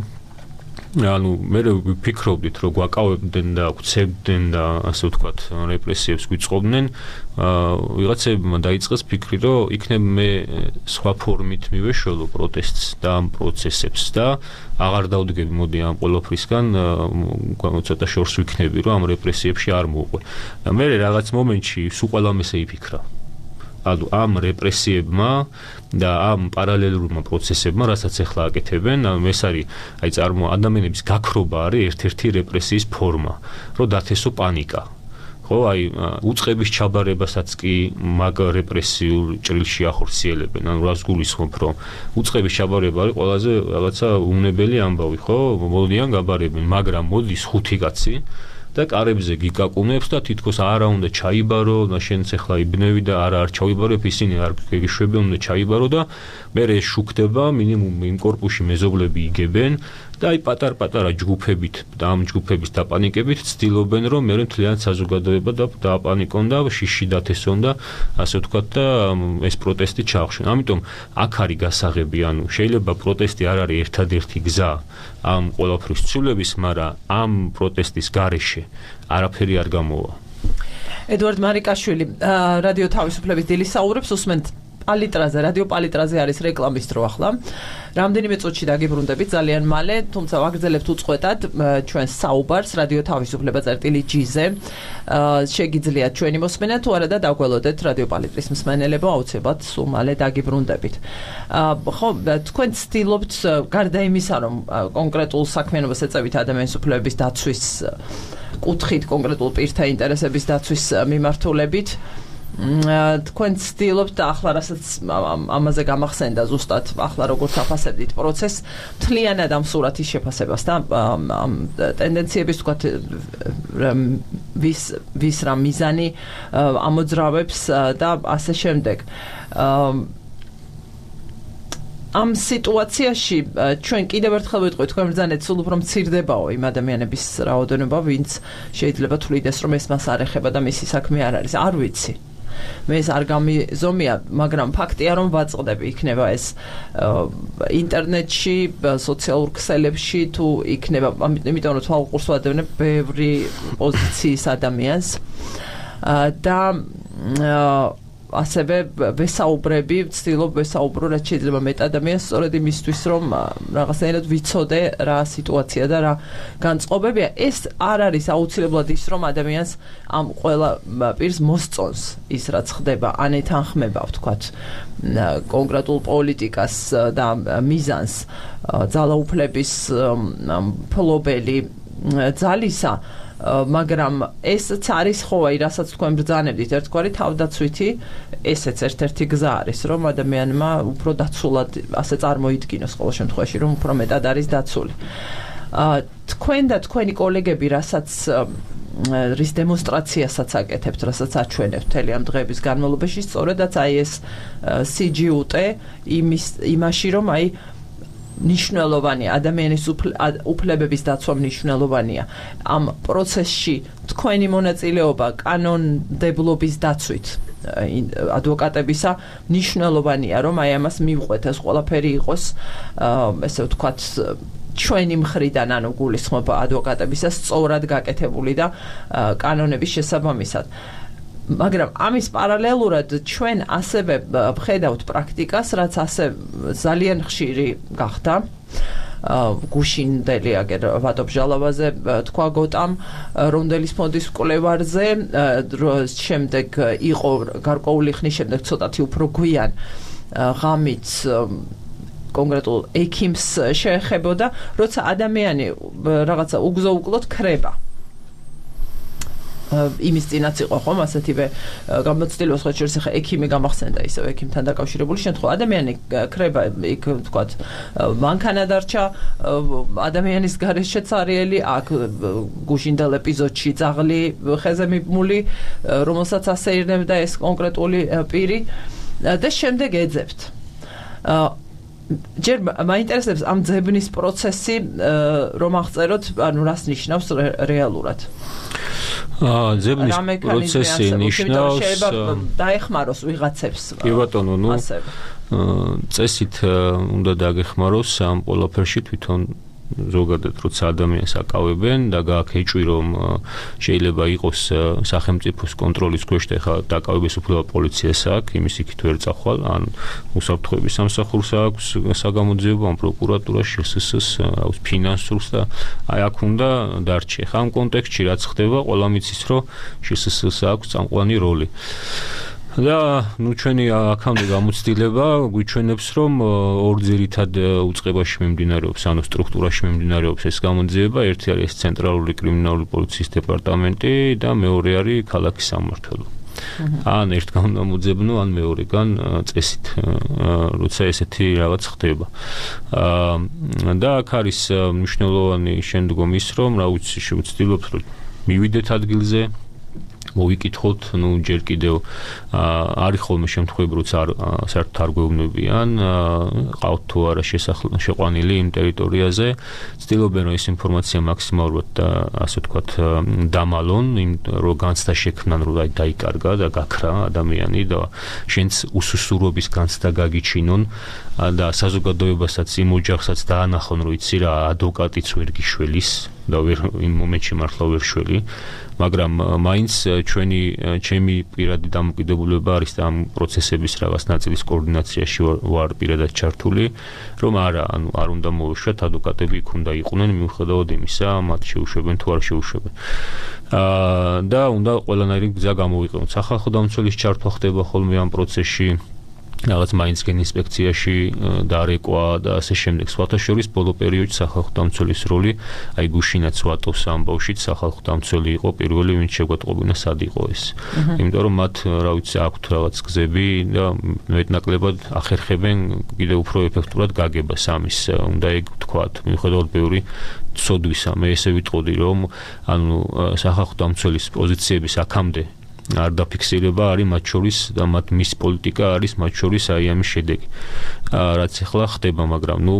ანუ მე ვფიქრობდით რომ გვაკავებდნენ და გვცემდნენ და ასე ვთქვათ რეპრესიებს გვიწყობდნენ ვიღაცებმა დაიწყეს ფიქრი რომ იქნებ მე სხვა ფორმით მივეშველო პროტესტს და ამ პროცესებს და აღარ დავდგები მოდი ამ ყველაფრისგან ცოტა შორს ვიქნები რომ ამ რეპრესიებში არ მოვყვე და მე რაღაც მომენტში სულ ყველამ ესე იფიქრა ანუ ამ რეპრესიებმა და ამ პარალელურმა პროცესებმა, რასაც ახლა აკეთებენ, ანუ ეს არის აი წარმო ადამიანების გაქრობა არის ერთ-ერთი რეპრესიის ფორმა, რომ დათესო პანიკა. ხო, აი უწყების ჩაბარებასაც კი მაგ რეპრესიულ ჭრილში ახორციელებენ. ანუ რას გულისხმობ, რომ უწყების ჩაბარება არის ყველაზე რაღაცა უნებელი ამბავი, ხო? მოდიან გაბარებენ, მაგრამ მოდის ხუთი კაცი და კარებზე გიკაკუნებს და თითქოს არა უნდა ჩაიბარო, და შენც ახლა იბნევი და არა არ ჩაიბარებ, ისინი არ გეშვებენ, უნდა ჩაიბარო და მე ეს შუქდება, მინიმუმ იმ კორპუსში მეზობლები იგებენ და აი პატარ-პატარა ჯგუფებით და ამ ჯგუფების დაპანიკებით ცდილობენ, რომ მე მთლიან საზოგადოება და დააპანიკონ და შიში დათესონ და ასე ვთქვათ და ეს პროტესტი ჩაახშენ. ამიტომ აქ არის გასაღები, ანუ შეიძლება პროტესტი არ არის ერთადერთი გზა ამ ყველაფრის ცვლილების, მაგრამ ამ პროტესტის გარეშე არაფერი არ გამოვა. ედვარდ მარიკაშვილი, რადიო თავისუფლების დილის საუბრებს უსმენთ პალიტრაზე, რადიო პალიტრაზე არის რეკლამის დრო ახლა. რამდენიმე წუთში დაგიბრუნდებით ძალიან მალე, თუმცა ვაგრძელებთ უწყვეტად ჩვენს საუბარს რადიო თავისუფლება წერტილი ჯი-ზე. შეგიძლიათ ჩვენი მოსმენა თუ არა და დაგველოდეთ რადიო პალიტრის მსმენელებო, აუცილებლად სულ მალე დაგიბრუნდებით. ხო, თქვენ ცდილობთ გარდა იმისა, რომ კონკრეტულ საქმიანობას ეწევით ადამიანის უფლებების დაცვის კუთხით, კონკრეტულ პირთა ინტერესების დაცვის მიმართულებით, თქვენ ცდილობთ და ახლა რასაც ამაზე გამახსენდა ზუსტად ახლა როგორც აფასებდით პროცესს მთლიანად ამ სურათის შეფასებას და ამ ტენდენციების თქვათ ვის ვის რა მიზანი ამოძრავებს და ასე შემდეგ ამ სიტუაციაში ჩვენ კიდევ ერთხელ ვიტყვით თქვენ ბრძანეთ სულ უფრო მცირდებაო იმ ადამიანების რაოდენობა ვინც შეიძლება თulides რომ ეს მას არ ეხება და მისი საქმე არ არის არ ვიცი მე ეს არ გამიზომია, მაგრამ ფაქტია რომ ვაწყდები იქნება ეს ინტერნეტში, სოციალურ ქსელებში თუ იქნება, იმიტომ რომ თვალყურს ვადევნებ ბევრი პოზიციის ადამიანს და ასევე ვესაუბრები, ვცდილობ ვესაუბრო რაც შეიძლება მეტ ადამიანს სწორედ იმისთვის რომ რაღაცნაირად ვიცოდე რა სიტუაცია და რა განწყობებია. ეს არ არის აუცილებლად ის რომ ადამიანს ამ ყველა პირს მოსწონს ის რაც ხდება, ან ეთანხმება ვთქვათ კონკრეტულ პოლიტიკას და მიზანს ძალაუფლების ფლობელი ძალისა მაგრამ ესეც არის ხო აი რასაც თქვენ ბრძანებდით ერთგვარი თავდაცვითი ესეც ერთ-ერთი გზა არის რომ ადამიანმა უფრო დაცულად ასე წარმოიდგინოს ყოველ შემთხვევაში რომ უფრო მეტად არის დაცული თქვენ და თქვენი კოლეგები რასაც რის დემონსტრაციასაც აკეთებთ რასაც აჩვენებთ მთელი ამ დღეების განმავლობაში სწორედაც აი ეს სი ჯი იუ ტე იმის იმაში რომ აი ნიშნულოვანია ადამიანის უფლებების დაცვა მნიშვნელოვანია ამ პროცესში თქვენი მონაწილეობა კანონმდებლობის დაცვით ადვოკატებისა მნიშვნელოვანია რომ აი ამას მივყვეთ ეს ყველაფერი იყოს ესე ვთქვათ ჩვენი მხრიდან ანუ გულისხმობ ადვოკატებისა სწორად გაკეთებული და კანონების შესაბამისად მაგრამ ამის პარალელურად ჩვენ ასევე ვხედავთ პრაქტიკას, რაც ასე ძალიან ხშირი გახდა. გუშინდელი აგერ ვატობჟალავაზე თქვა გოტამ რონდელის ფონდის მკვლევარზე, შემდეგ იყო გარკვეული ხნის შემდეგ ცოტათი უფრო გვიან ღამით კონკრეტულ ექიმს შეეხებოდა, როცა ადამიანი რაღაცა უგზო-უკლოდ ქრება. იმის წინაც იყო ხომ ასეთივე გამოცდილება სხვა შორის ხა ექიმი გამახსენდა ისევ ექიმთან დაკავშირებული შემთხვევა ადამიანი ქრება იქ ვთქვათ მანქანა დარჩა ადამიანის გარეშეც არიელი აქ გუშინდელ ეპიზოდში ძაღლი ხეზე მიბმული რომელსაც ასეირნებდა ეს კონკრეტული პირი და შემდეგ ეძებთ ჯერ მაინტერესებს ამ ძებნის პროცესი რომ აღწეროთ ანუ რას ნიშნავს რეალურად აა ძებნის პროცესი ნიშნავს დაეხმაროს ვიღაცებს კი ბატონო ნუ წესით უნდა დაგეხმაროს ამ ყველაფერში თვითონ ზოგადად როცა ადამიანს აკავებენ და გააქეჭვი რომ შეიძლება იყოს სახელმწიფოს კონტროლის ქვეშ და ხა დაკავების უფლება პოლიციას აქვს, იმის იქით ვერ წახვალ, ან უსაფრთხოების სამსახურს აქვს საგამოძიებო, ან პროკურატურას, შსს, აქვს ფინანსურს და აი აქ უნდა დარჩე. ხა ამ კონტექსტში რაც ხდება, ყველა მიცის რომ შსს აქვს წამყვანი როლი. და ნუ ჩვენი აქამდე გამოცდილება გვიჩვენებს რომ ორ ძირითად უწყებაში მიმდინარეობს, ანუ სტრუქტურაში მიმდინარეობს ეს გამოძიება, ერთი არის ცენტრალური კრიმინალური პოლიციის დეპარტამენტი და მეორე არის ქალაქის სამმართველო. ან ერთ გამოძიებნო, ან მეორეგან წესით, როცა ესეთი რაღაც ხდება. და აქ არის მნიშვნელოვანი შემდგომ ის რომ რა ვიცი, შევცდილობთ რომ მივიდეთ ადგილზე, მოვიკითხოთ, ნუ ჯერ კიდევ არის ხოლმე შემთხვევები, როცა საერთოდ არ გვეუბნებიან, ყავთ თუ არა შეყვანილი იმ ტერიტორიაზე, ცდილობენ რომ ეს ინფორმაცია მაქსიმალურად და ასე ვთქვათ დამალონ, რომ განცდა შექმნან, რომ დაიკარგა და გაქრა ადამიანი და შენც უსუსურობის განცდა გაგიჩინონ და საზოგადოებასაც იმ ოჯახსაც დაანახონ, რომ იცი რა, ადვოკატიც ვერ გიშველის და ვერ იმ მომენტში მართლა ვერ შველი, მაგრამ მაინც ჩვენი ჩემი პირადი დამოკიდებულება არის და ამ პროცესების რაღაც ნაწილის კოორდინაციაში ვარ პირადად ჩართული, რომ არა, ანუ არ უნდა მოვეშვათ, ადვოკატები იქ უნდა იყვნენ მიუხედავად იმისა, მათ შეუშვებენ თუ არ შეუშვებენ. და უნდა ყველანაირი გზა გამოვიყენოთ. სახალხო დამცველის ჩართვა ხდება ხოლმე ამ პროცესში, რაღაც მაინც გენ ინსპექციაში დარეკვა და ასე შემდეგ. სხვათა შორის ბოლო პერიოდში სახალხო დამცველის როლი, აი გუშინაც ვატოვს ამბავშიც სახალხო დამცველი იყო პირველი, ვინც შეგვატყობინა სად იყო ეს. იმიტომ რომ მათ რა ვიცი აქვთ რაღაც გზები და მეტნაკლებად ახერხებენ კიდევ უფრო ეფექტურად გაგებას ამის. უნდა ეგ ვთქვათ, მიუხედავად ბევრი ცოდვისა, მე ესე ვიტყოდი რომ ანუ სახალხო დამცველის პოზიციების აქამდე არ დაფიქსირება არის მათ შორის და მათ მის პოლიტიკა არის მათ შორის აი ამის შედეგი. რაც ახლა ხდება, მაგრამ ნუ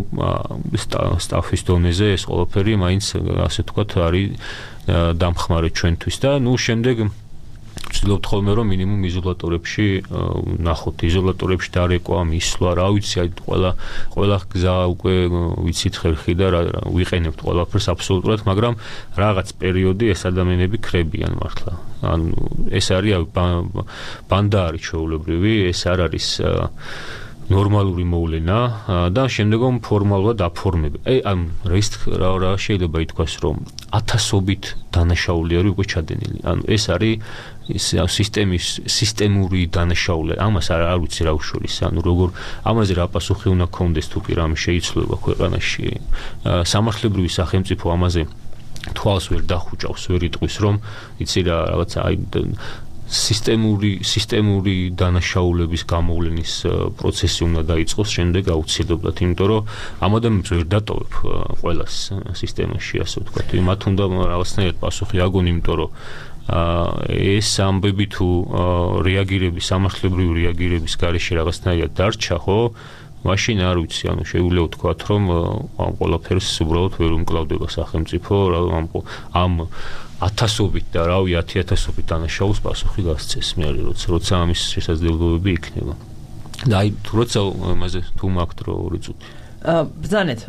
სტაფის დონეზე ეს ყველაფერი მაინც ასე ვთქვათ არის დამხმარე ჩვენთვის და ნუ შემდეგ ვცდილობთ ხოლმე რომ მინიმუმ იზოლატორებში ნახოთ, იზოლატორებში დარეკვა, მისვლა, რა ვიცი, აი ყველა ყველა გზა უკვე ვიცით ხერხი და ვიყენებთ ყველაფერს აბსოლუტურად, მაგრამ რაღაც პერიოდი ეს ადამიანები ქრებიან მართლა. ანუ ეს არის ბანდა არის ჩვეულებრივი, ეს არ არის ნორმალური მოვლენა და შემდგომ ფორმალურად აფორმება. აი ამ რა რა შეიძლება ითქვას რომ ათასობით დანაშაული არის უკვე ჩადენილი. ანუ ეს არის სისტემის სისტემური დანაშაული. ამას არ არ ვიცი რა უშურის. ანუ როგორ ამაზე რა პასუხი უნდა გქონდეს თუ კი რამე შეიცვლება ქვეყანაში. სამართლებრივი სახელმწიფო ამაზე თვალს ვერ დახუჭავს, ვერ იტყვის რომ იცი რა რაღაცა აი სისტემური სისტემური დანაშაულების გამოვლენის პროცესი უნდა დაიწყოს შემდეგ აუცილებლად, იმიტომ რომ ამ ადამიანებს ვერ დატოვებ ყველას სისტემაში, ასე ვთქვათ. მათ უნდა რაღაცნაირად პასუხი აგონ, იმიტომ რომ ეს ამბები თუ რეაგირების, სამართლებრივი რეაგირების გარეშე რაღაცნაირად დარჩა, ხო? მაშინ არ ვიცი, ანუ შეგვიძლია ვთქვათ, რომ ამ ყველაფერს უბრალოდ ვერ უმკლავდება სახელმწიფო, ამ ამ ათასობით და რავი ათი ათასობით დანაშაულს პასუხი გასცეს მე როცა როცა ამის შესაძლებლობები იქნება. და აი როცა ამაზე თუ მაგთ რო ორი წუთი. აა ბრძანეთ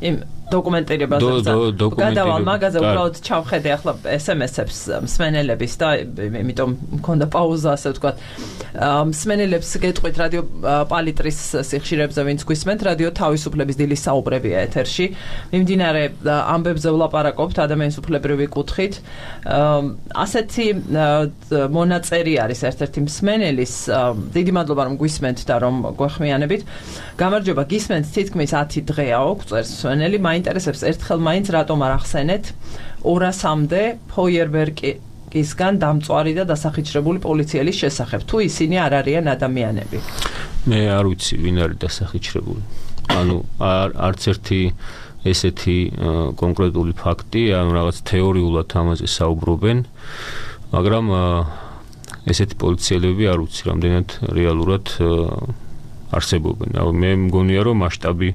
იმ დოკუმენტირებაზე გადავალ მაგაზე უბრალოდ ჩავხედე ახლა ეს ემ ეს-ებს მსმენელების და იმიტომ მქონდა პაუზა, ასე ვთქვათ. მსმენელებს გეტყვით რადიო პალიტრის სიხშირებზე, ვინც გვისმენთ, რადიო თავისუფლების დილის საუბრებია ეთერში. მიმდინარე ამბებზე ვლაპარაკობთ ადამიანის უფლებრივი კუთხით. ასეთი მონაწერი არის ერთ-ერთი მსმენელის. დიდი მადლობა რომ გვისმენთ და რომ გვეხმიანებით. გამარჯობა, გისმენთ თითქმის ათი დღეაო, წერს მსმენელი. მაინტერესებს ერთხელ მაინც რატომ არ ახსენეთ ორასამდე ფოიერბერგისგან დამწვარი და დასახიჩრებული პოლიციელის შესახებ, თუ ისინი არ არიან ადამიანები. მე არ ვიცი ვინ არის დასახიჩრებული. ანუ არც ერთი ესეთი კონკრეტული ფაქტი, ანუ რაღაც თეორიულად ამაზე საუბრობენ, მაგრამ ესეთი პოლიციელები არ ვიცი რამდენად რეალურად არსებობენ. მე მგონია რომ მასშტაბი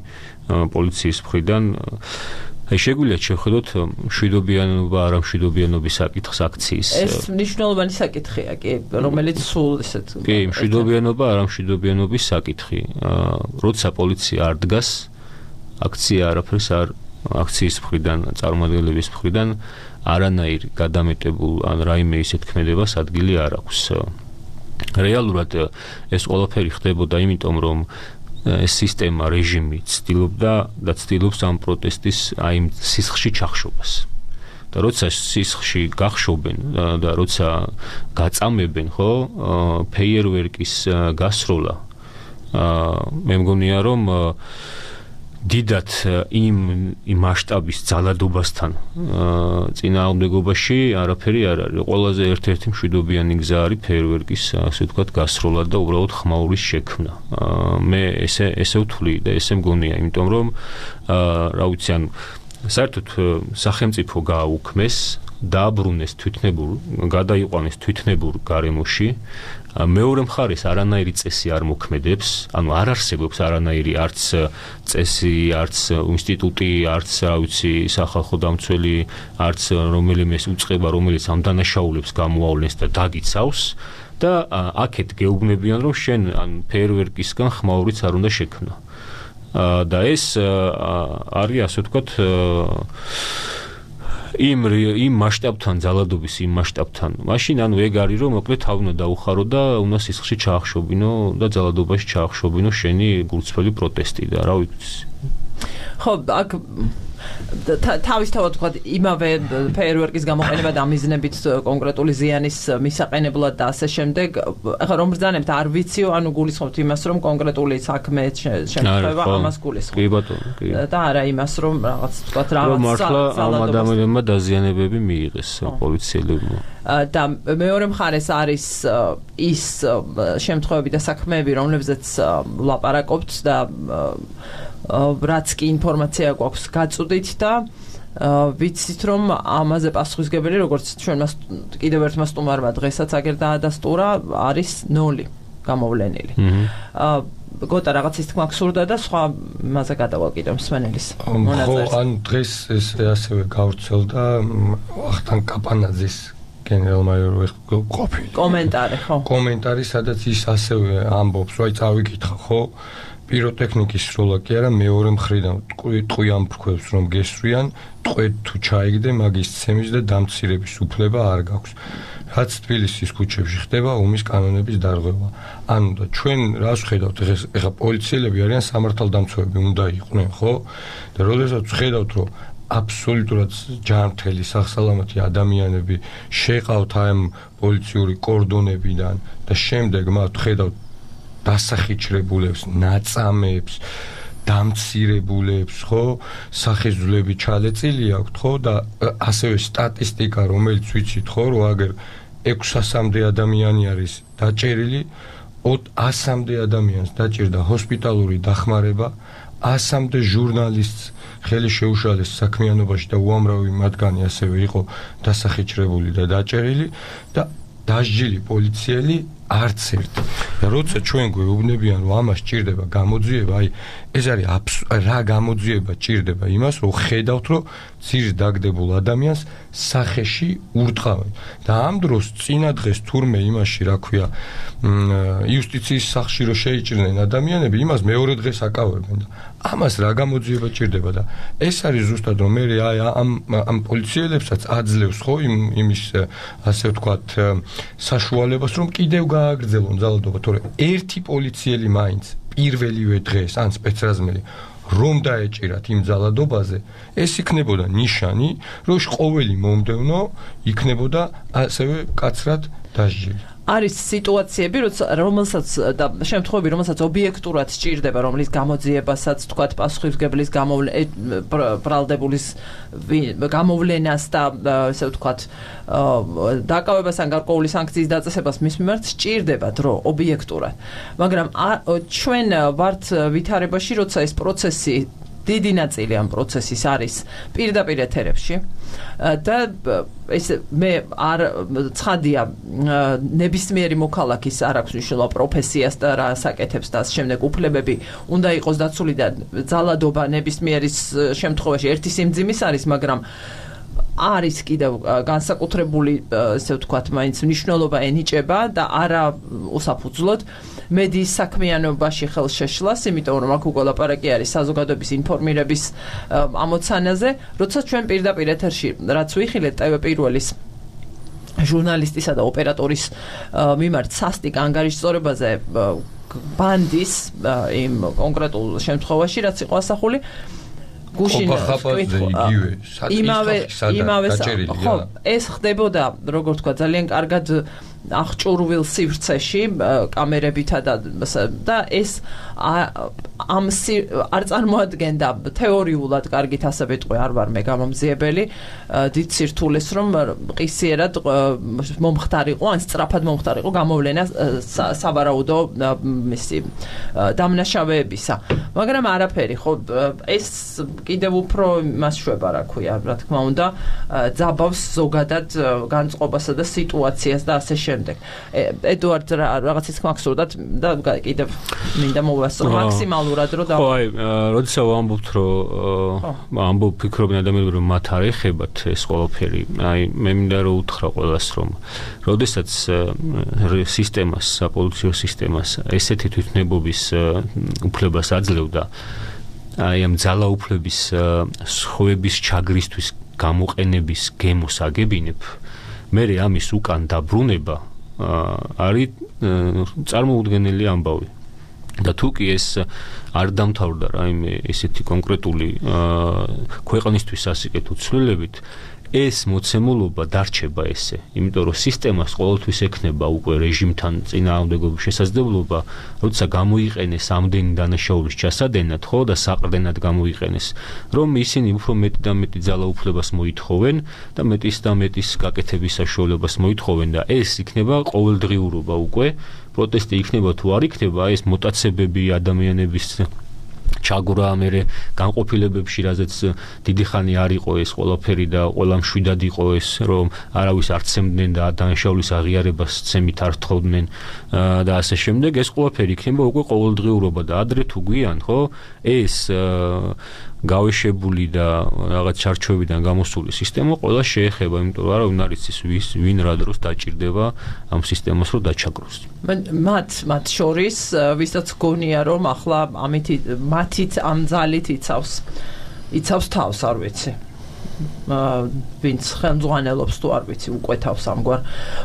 პოლიციის მხრიდან აი შეგვიძლია შევხედოთ მშვიდობიანობა არა მშვიდობიანობის საკითხს აქციის. ეს მნიშვნელოვანი საკითხია კი, რომელიც სულ ისეთ კი, მშვიდობიანობა არა მშვიდობიანობის საკითხი. როცა პოლიცია არ დგას, აქცია არაფერს არ აქციის მხრიდან, წარმომადგენლების მხრიდან არანაირ გადამეტებულ ან რაიმე ისეთ ქმედებას ადგილი არ აქვს. რეალურად ეს ყველაფერი ხდებოდა იმიტომ, რომ ეს სისტემა, რეჟიმი ცდილობდა და ცდილობს ამ პროტესტის აი სისხლში ჩახშობას. და როცა სისხლში გახშობენ და როცა გაწამებენ, ხო, ფეიერვერკის გასროლა, მე მგონია, რომ დიდად იმ იმ მასშტაბის ძალადობასთან წინააღმდეგობაში არაფერი არ არის. ყველაზე ერთ-ერთი მშვიდობიანი გზა არის ფეიერვერკის, ასე ვთქვათ, გასროლა და უბრალოდ ხმაურის შექმნა. მე ესე ესე ვთვლი და ესე მგონია, იმიტომ რომ რა ვიცი, ან საერთოდ სახელმწიფო გააუქმეს, დააბრუნეს თვითნებურ, გადაიყვანეს თვითნებურ გარემოში. მეორე მხარეს არანაირი წესი არ მოქმედებს, ანუ არ არსებობს არანაირი არც წესი, არც ინსტიტუტი, არც რა ვიცი, სახალხო დამცველი, არც რომელიმე უწყება, რომელიც ამ დანაშაულებს გამოავლენს და დაგიცავს და აქეთ გეუბნებიან, რომ შენ ან ფეიერვერკისგან ხმაურიც არ უნდა შექმნა. და ეს არის, ასე ვთქვათ, იმ იმ მასშტაბთან, ძალადობის იმ მასშტაბთან. მაშინ ანუ ეგ არის, რომ მოკლედ თავი უნდა დაუხარო და უნდა სისხლში ჩაახშობინო და ძალადობაში ჩაახშობინო შენი გულწრფელი პროტესტი და რა ვიცი. ხო, აქ თავისთავად ვთქვათ, იმავე ფეიერვერკის გამოყენება და მიზნებით კონკრეტული ზიანის მისაყენებლად და ასე შემდეგ. ახლა რომ ბრძანებთ, არ ვიციო, ანუ გულისხმობთ იმას, რომ კონკრეტული საქმე შემთხვევა ამას გულისხმობთ. კი ბატონო, კი. და არა იმას, რომ რაღაც ვთქვათ, რაღაც მართლა ამ ადამიანებმა დაზიანებები მიიღეს პოლიციელებმა. და მეორე მხარეს არის ის შემთხვევები და საქმეები, რომლებზეც ვლაპარაკობთ და რაც კი ინფორმაცია გვაქვს გაწუდით და ვიცით, რომ ამაზე პასუხისმგებელი, როგორც ჩვენ მას კიდევ ერთმა სტუმარმა დღესაც აგერ დაადასტურა, არის ნული გამოვლენილი. გოტა რაღაცის თქმა გსურდა და სხვა მასზე გადავალ კიდევ მსმენელის მონაზრეს. ხო, ან დღეს ეს ასევე გავრცელდა ვახტანგ კაპანაძის გენერალ-მაიორი ყოფილი კომენტარი, ხო. კომენტარი, სადაც ის ასევე ამბობს, რომ აი წავიკითხა, ხო? პიროტექნიკის სროლა კი არა, მეორე მხრიდან ტყვი ამ ფრქვევს რომ გესვრიან, ტყვედ თუ ჩაიგდე, მაგის ცემის და დამცირების უფლება არ გაქვს. რაც თბილისის ქუჩებში ხდება, ომის კანონების დარღვევა. ანუ და ჩვენ რას ვხედავთ, ეხლა პოლიციელები არიან სამართალდამცავები უნდა იყვნენ, ხო? და როდესაც ვხედავთ, რომ აბსოლუტურად ჯანმრთელი სახსალამათი ადამიანები შეყავთ ამ პოლიციური კორდონებიდან და შემდეგ მათ ვხედავთ დასახიჩრებულებს, ნაწამებს, დამცირებულებს, ხო, სახეზვლები ჩალეწილი აქვთ, ხო, და ასევე სტატისტიკა, რომელიც ვიცით, ხო, რომ აგერ ექვსასამდე ადამიანი არის დაჭერილი, ასამდე ადამიანს დაჭერდა ჰოსპიტალური დახმარება, ასამდე ჟურნალისტს ხელი შეუშალეს საქმიანობაში და უამრავი მათგანი ასევე იყო დასახიჩრებული და დაჭერილი და დასჯილი პოლიციელი არც ერთი. და როცა ჩვენ გვეუბნებიან, რომ ამას ჭირდება გამოძიება, აი ეს არის რა გამოძიება ჭირდება იმას, რომ ხედავთ, რომ ძირს დაგდებულ ადამიანს სახეში ურტყავენ. და ამ დროს წინა დღეს თურმე იმაში, რა ქვია, იუსტიციის სახლში რომ შეიჭრნენ ადამიანები, იმას მეორე დღეს აკავებენ და ამას რა გამოძიება ჭირდება და ეს არის ზუსტად რომ მე აი ამ ამ პოლიციელებსაც აძლევს, ხო, იმ იმის ასე ვთქვათ საშუალებას, რომ კიდევ გააგრძელონ ძალადობა, თორე ერთი პოლიციელი მაინც პირველივე დღეს ან სპეცრაზმელი რომ დაეჭირათ იმ ძალადობაზე, ეს იქნებოდა ნიშანი, რომ ყოველი მომდევნო იქნებოდა ასევე კაცრად დასჯილი. არის სიტუაციები, რომელსაც და შემთხვევები, რომელსაც ობიექტურად სჭირდება, რომლის გამოძიებასაც თქვათ პასუხისმგებლის ბრალდებულის გამოვლენას და ესე ვთქვათ დაკავებას ან გარკვეული სანქციის დაწესებას მის მიმართ სჭირდება დრო ობიექტურად. მაგრამ ჩვენ ვართ ვითარებაში, როცა ეს პროცესი დიდი ნაწილი ამ პროცესის არის პირდაპირ ეთერებში და ეს მე არ ცხადია ნებისმიერი მოქალაქის არ აქვს მნიშვნელობა პროფესიას და რა საკეთებს და ამ შემდეგ უფლებები უნდა იყოს დაცული და ძალადობა ნებისმიერის შემთხვევაში ერთი სიმძიმის არის, მაგრამ არის კიდევ განსაკუთრებული, ესე ვთქვათ, მაინც მნიშვნელობა ენიჭება და არა უსაფუძვლოდ მედიის საქმიანობაში ხელშეშლას, იმიტომ რომ აქ უკვე ლაპარაკი არის საზოგადოების ინფორმირების ამოცანაზე, როცა ჩვენ პირდაპირ ეთერში რაც ვიხილეთ ტევ პირველის ჟურნალისტისა და ოპერატორის მიმართ სასტიკ ანგარიშწორებაზე ბანდის იმ კონკრეტულ შემთხვევაში, რაც იყო ასახული, გუშინ იმავე იმავე ხო ეს ხდებოდა როგორ თქვა ძალიან კარგად აღჭურვილ სივრცეში კამერებითა და და ეს ამ არ წარმოადგენდა თეორიულად კარგით ასე ვიტყვი არ ვარ მე გამომძიებელი დიდ სირთულეს რომ ყისიერად მომხდარიყო ან სწრაფად მომხდარიყო გამოვლენა სავარაუდო მისი დამნაშავეებისა მაგრამ არაფერი ხო ეს კიდევ უფრო მას შვება რა ქვია რა თქმა უნდა ძაბავს ზოგადად განწყობასა და სიტუაციას და ასე შემდეგ ედუარდ რაღაცის მაქსურდად და კიდევ მინდა მოვასწრო მაქსიმალურად რომ და ხო აი როდესაც ვამბობთ რომ ამბობ ფიქრობენ ადამიანები რომ მათ არ ეხებათ ეს ყველაფერი აი მე მინდა რომ უთხრა ყველას რომ როდესაც სისტემას საპოლიციო სისტემას ესეთი თვითნებობის უფლებას აძლევდა აი ამ ძალაუფლების სხვების ჩაგრისთვის გამოყენების გემოს აგებინებ მე ამის უკან დაბრუნება არის წარმოუდგენელი ამბავი და თუ კი ეს არ დამთავრდა რაიმე ესეთი კონკრეტული ქვეყნისთვის ასიკეთო ცვლილებით ეს მოცემულობა დარჩება ესე იმიტომ რომ სისტემას ყოველთვის ექნება უკვე რეჟიმთან წინააღმდეგობის შესაძლებლობა როცა გამოიყენეს ამდენი დანაშაულის ჩასადენად ხო და საყრდენად გამოიყენეს რომ ისინი უფრო მეტი და მეტი ძალაუფლებას მოითხოვენ და მეტის და მეტის გაკეთების საშუალებას მოითხოვენ და ეს იქნება ყოველდღიურობა უკვე პროტესტი იქნება თუ არ იქნება ეს მოტაცებები ადამიანების ჩაგვრა მერე განყოფილებებში რაზეც დიდი ხანი არ იყო ეს ყველაფერი და ყველა მშვიდად იყო ეს რომ არავის არ ცემდნენ და დანაშაულის აღიარებას ცემით არ თხოვდნენ და ასე შემდეგ ეს ყველაფერი იქნება უკვე ყოველდღიურობა და ადრე თუ გვიან ხო ეს გავეშებული და რაღაც ჩარჩოებიდან გამოსული სისტემა ყველა შეეხება იმიტომ რომ არავინ არ იცის ვის ვინ რა დროს დაჭირდება ამ სისტემას რომ დაჩაგროს მათ მათ შორის ვისაც გონია რომ ახლა ამით მათით ამ ძალით იცავს იცავს თავს არ ვიცი ვინც ხელმძღვანელობს თუ არ ვიცი უკვე თავს ამგვარ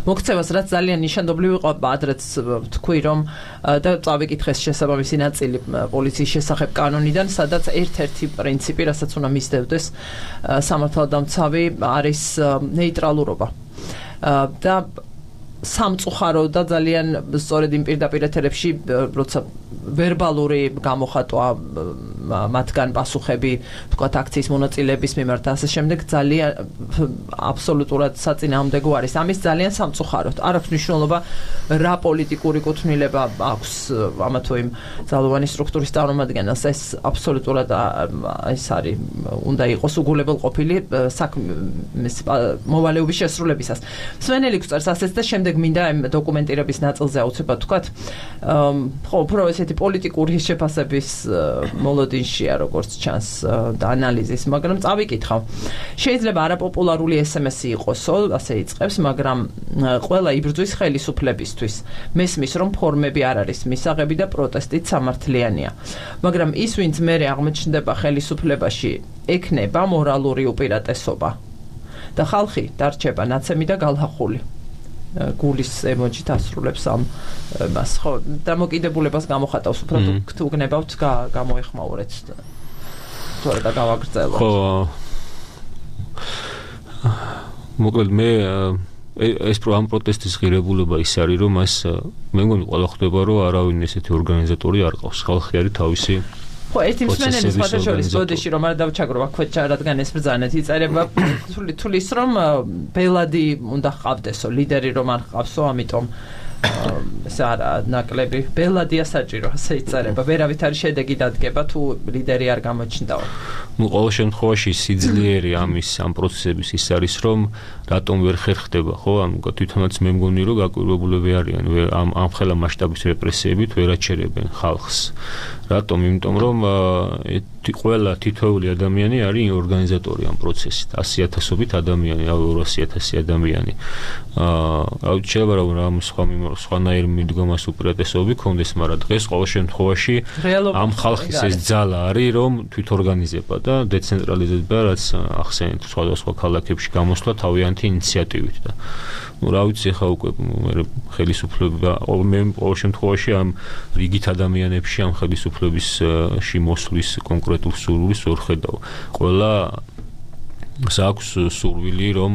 მოქცევას რაც ძალიან ნიშანდობლივ იყო ადრეც თქვი რომ და წავიკითხეს შესაბამისი ნაწილი პოლიციის შესახებ კანონიდან სადაც ერთ-ერთი პრინციპი რასაც უნდა მისდევდეს სამართალდამცავი არის ნეიტრალურობა და სამწუხარო და ძალიან სწორედ იმ პირდაპირ ეთერებში როცა ვერბალური გამოხატვა მათგან პასუხები თქვათ აქციის მონაწილეების მიმართ და ასე შემდეგ ძალიან აბსოლუტურად საწინააღმდეგო არის ამის ძალიან სამწუხაროდ არ აქვს მნიშვნელობა რა პოლიტიკური კუთვნილება აქვს ამა თუ იმ ძალოვანი სტრუქტურის წარმომადგენელს ეს აბსოლუტურად ეს არის უნდა იყოს უგულებელყოფილი საქმის მოვალეობის შესრულებისას სვენელი გვწერს ასეც და შემდეგ მინდა იმ დოკუმენტირების ნაწილზე აუცილებლად თქვათ ხო უფრო ესეთი პოლიტიკური შეფასების მოლოდინშია როგორც ჩანს და ანალიზის მაგრამ წავიკითხავ შეიძლება არაპოპულარული ესემესი იყოსო ასე იწყებს მაგრამ ყველა იბრძვის ხელისუფლებისთვის მესმის რომ ფორმები არ არის მისაღები და პროტესტით სამართლიანია მაგრამ ის ვინც მერე აღმოჩნდება ხელისუფლებაში ექნება მორალური უპირატესობა და ხალხი დარჩება ნაცემი და გალახული გულის ემოჯით ასრულებს ამ მას ხო დამოკიდებულებას გამოხატავს უფრო თუ გნებავთ გამოეხმაურეთ თორე და გავაგრძელოთ ხო მოკლედ მე ეს ამ პროტესტის ღირებულება ის არის რომ მას მე მგონი ყველა ხვდება რომ არავინ ესეთი ორგანიზატორი არ ყავს ხალხი არის თავისი ხო ერთი მსმენელი სხვადასხვის ბოდიში რომ არ დავჩაგრო აქვე რადგან ეს ბრძანეთ იწერება თulis რომ ბელადი უნდა ყავდესო ლიდერი რომ არ ყავსო ამიტომ ეს არა ნაკლები ბელადია საჭირო ასე იწერება ვერავით არის შედეგი დადგება თუ ლიდერი არ გამოჩნდაო ну ყოველ შემთხვევაში სიძლიერე ამის ამ პროცესების ის არის რომ რატომ ვერ ხერხდება ხო ანუ თვითონაც მე მგონი რომ გაკვირვებულები არიან ამ ამ ხელა მასშტაბის რეპრესიებით ვერ აჩერებენ ხალხს რატომ იმიტომ რომ ყველა თითოეული ადამიანი არის ორგანიზატორი ამ პროცესის. ასი ათასობით ადამიანი, ავ ორასი ათასი ადამიანი. აა, შეიძლება რომ სხვა სხვანაირ მიდგომას უპირატესობები ქონდეს, მაგრამ დღეს ყოველ შემთხვევაში ამ ხალხის ეს ძალა არის, რომ თვითორგანიზება და დეცენტრალიზება, რაც ახსენეთ სხვადასხვა ქალაქებში გამოსვლა თავიანთი ინიციატივით და ну, რა ვიცი, ხა უკვე ხელისუფლება, მე ყოველ შემთხვევაში ამ რიგით ადამიანებში ამ ხელისუფლებისში მოსვლის კონკრეტულ სურვილს ვერ ხედავ. ყველა აქვს სურვილი, რომ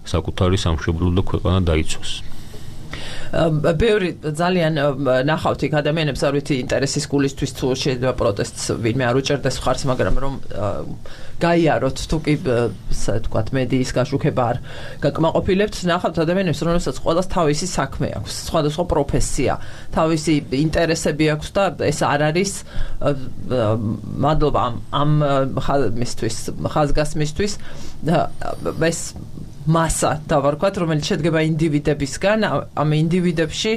საკუთარი სამშობლო და ქვეყანა დაიცვას. ბევრი ძალიან ნახავთ იქ ადამიანებს, არ ვიცი, ინტერესის გულისთვის თუ შეიძლება პროტესტს ვინმე არ უჭერდეს ხარს, მაგრამ რომ გაიაროთ თუ კი ასე ვთქვათ მედიის გაშუქება არ გაკმაყოფილებთ, ნახავთ ადამიანებს, რომელსაც ყველას თავისი საქმე აქვს, სხვადასხვა პროფესია, თავისი ინტერესები აქვს და ეს არ არის მადლობა ამ მისთვის, ხაზგასმისთვის ეს მასა დავარქვათ, რომელიც შედგება ინდივიდებისგან, ამ ინდივიდებში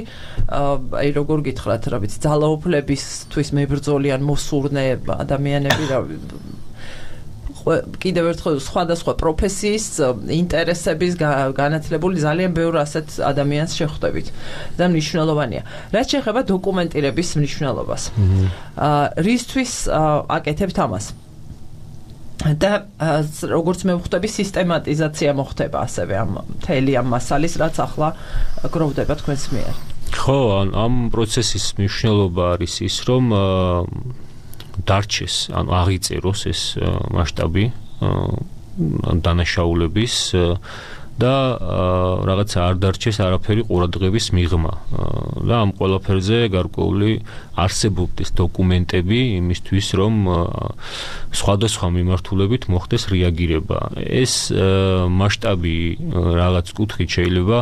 აი როგორ გითხრათ, რა ვიცი, ძალაუფლებისთვის მებრძოლიან მოსურნე ადამიანები, რა კიდევ ერთხელ სხვადასხვა პროფესიის ინტერესების განათლებული ძალიან ბევრ ასეთ ადამიანს შეხვდებით და მნიშვნელოვანია. რაც შეეხება დოკუმენტირების მნიშვნელობას. რისთვის აკეთებთ ამას? და როგორც მე ვხვდები, სისტემატიზაცია მოხდება ასევე ამ მთელი ამ მასალის, რაც ახლა გროვდება თქვენს მიერ. ხო, ამ პროცესის მნიშვნელობა არის ის, რომ დარჩეს, ანუ აღიწეროს ეს მასშტაბი დანაშაულების და რაღაცა არ დარჩეს არაფერი ყურადღების მიღმა და ამ ყველაფერზე გარკვეული არსებობდეს დოკუმენტები იმისთვის, რომ სხვადასხვა მიმართულებით მოხდეს რეაგირება. ეს მასშტაბი რაღაც კუთხით შეიძლება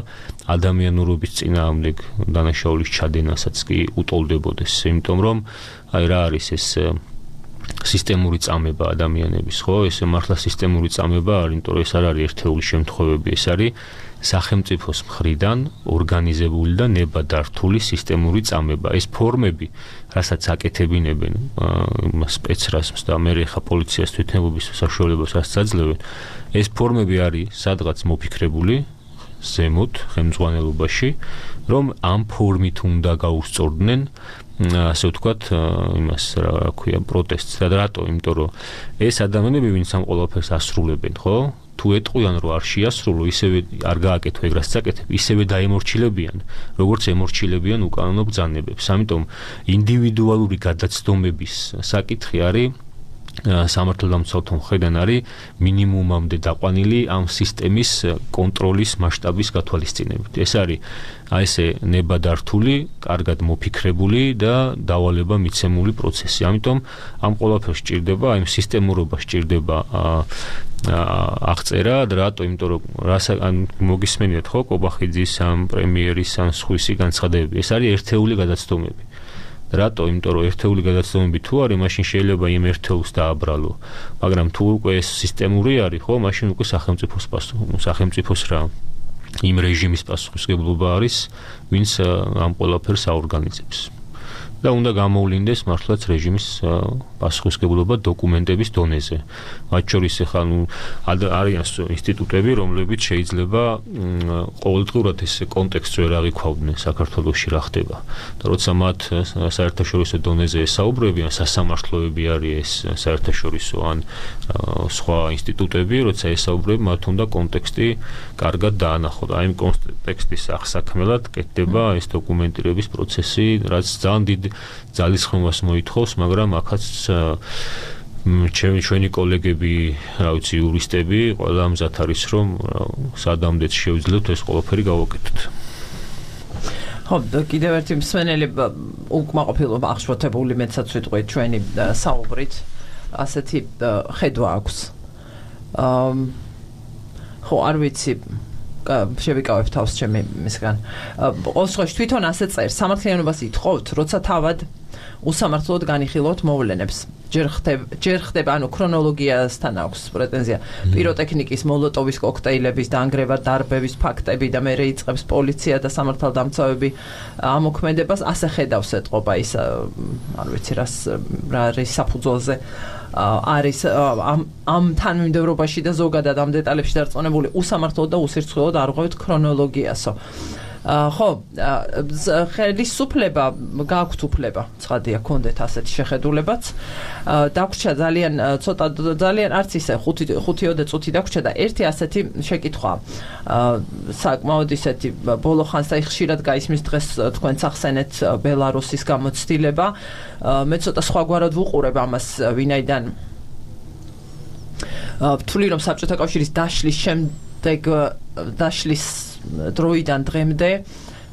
ადამიანურობის წინააღმდეგ დანაშაულის ჩადენასაც კი უტოლდებოდეს, იმიტომ რომ აი რა არის ეს სისტემური წამება ადამიანების, ხო? ეს მართლა სისტემური წამება არის, იმიტომ რომ ეს არ არის ერთეული შემთხვევები, ეს არის სახელმწიფოს მხრიდან ორგანიზებული და ნებადართული სისტემური წამება. ეს ფორმები, რასაც აკეთებინებენ სპეცრაზმს და მე ხა პოლიციას თვითნებობის საშუალებას აძლევენ, ეს ფორმები არის სადღაც მოფიქრებული ზემოთ ხელმძღვანელობაში, რომ ამ ფორმით უნდა გაუსწორდნენ ასე ვთქვათ, იმას რა ქვია, პროტესტს და რატო? იმიტომ რომ ეს ადამიანები, ვინც ამ ყველაფერს ასრულებენ, ხო? თუ ეტყვიან, რომ არ შეასრულო, ისევე არ გააკეთო ეგ რაც აკეთებ, ისევე დაემორჩილებიან, როგორც ემორჩილებიან უკანონო ბრძანებებს. ამიტომ ინდივიდუალური გადაცდომების საკითხი არის სამართალდამცავთა მხრიდან არის მინიმუმამდე დაყვანილი ამ სისტემის კონტროლის მასშტაბის გათვალისწინებით. ეს არის აი ესე ნებადართული, კარგად მოფიქრებული და დავალება მიცემული პროცესი. ამიტომ ამ ყველაფერს სჭირდება, აი სისტემურობა სჭირდება აღწერა და რატო? იმიტომ რომ ან მოგისმენიათ ხო კობახიძის ამ პრემიერის ან სხვისი განცხადებები. ეს არის ერთეული გადაცდომები. რატო? იმიტომ რომ ერთეული გადაცდომები თუ არის, მაშინ შეიძლება იმ ერთეულს დააბრალო. მაგრამ თუ უკვე ეს სისტემური არის, ხო, მაშინ უკვე სახელმწიფოს პასუხი, სახელმწიფოს რა იმ რეჟიმის პასუხისმგებლობა არის, ვინც ამ ყველაფერს აორგანიზებს. და უნდა გამოვლინდეს მართლაც რეჟიმის პასუხისმგებლობა დოკუმენტების დონეზე. მათ შორის ახლა ნუ არიან ინსტიტუტები, რომლებიც შეიძლება ყოველდღურად ეს კონტექსტს ვერ აღიქვავდნენ საქართველოში რა ხდება. და როცა მათ საერთაშორისო დონეზე ესაუბრებიან, სასამართლოები არის ეს საერთაშორისო ან სხვა ინსტიტუტები, როცა ესაუბრებენ, მათ უნდა კონტექსტი კარგად დაანახონ. აი იმ კონტექსტის აღსაქმელად კეთდება ეს დოკუმენტირების პროცესი, რაც ძალიან დიდ ძალისხმევას მოითხოვს, მაგრამ აქაც ჩემი ჩვენი კოლეგები, რა ვიცი, იურისტები, ყველა მზად არის, რომ სადამდეც შევძლებთ ეს ყველაფერი გავაკეთოთ. ხო, კიდევ ერთი მსმენელი უკმაყოფილო აღშფოთებული მეცაც ვიტყვით ჩვენი საუბრით, ასეთი ხედვა აქვს. ხო, არ ვიცი, შევიკავებ თავს ჩემი მისგან. ყოველ შემთხვევაში თვითონ ასე წერს, სამართლიანობას ითხოვთ, როცა თავად უსამართლოდ განიხილოთ მოვლენებს. ჯერ ხდება ჯერ ხდება ანუ ქრონოლოგიასთან აქვს პრეტენზია პიროტექნიკის მოლოტოვის კოქტეილების დაანგრევა დარბევის ფაქტები და მერე იწყებს პოლიცია და სამართალდამცავები ამოქმედებას ასე ხედავს ეთყობა ის არ ვიცი რას რა არის საფუძველზე არის ამ ამ თანმიმდევრობაში და ზოგადად ამ დეტალებში დარწმუნებული უსამართლოდ და უსირცხვილოდ არ ღვევთ ქრონოლოგიასო ხო ხელისუფლება გააქვთ უფლება ცხადია კონდეთ ასეთი შეხედულებაც დაგვრჩა ძალიან ცოტა ძალიან არც ისე ხუთი წუთი დაგვრჩა და ერთი ასეთი შეკითხვა საკმაოდ ისეთი ბოლო ხანს აი ხშირად გაისმის დღეს თქვენც ახსენეთ ბელარუსის გამოცდილება მე ცოტა სხვაგვარად ვუყურებ ამას ვინაიდან ვთვლი რომ საბჭოთა კავშირის დაშლის შემდეგ დაშლის დროიდან დღემდე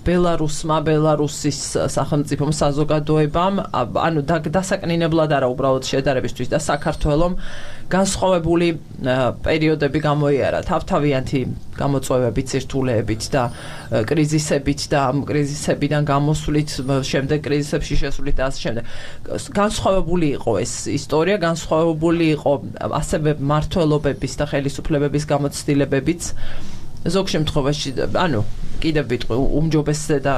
ბელარუსმა ბელარუსის სახელმწიფომ საზოგადოებამ ანუ დასაკნინებლად არა უბრალოდ შედარებისთვის და საქართველომ განსხვავებული პერიოდები გამოიარა თავთავიანთი გამოწვევებით სირთულეებით და კრიზისებით და ამ კრიზისებიდან გამოსვლით შემდეგ კრიზისებში შესვლით და ასე შემდეგ განსხვავებული იყო ეს ისტორია განსხვავებული იყო ასევე მმართველობების და ხელისუფლებების გამოცდილებებიც ზოგ შემთხვევაში ანუ კიდევ ვიტყვი უმჯობესზე და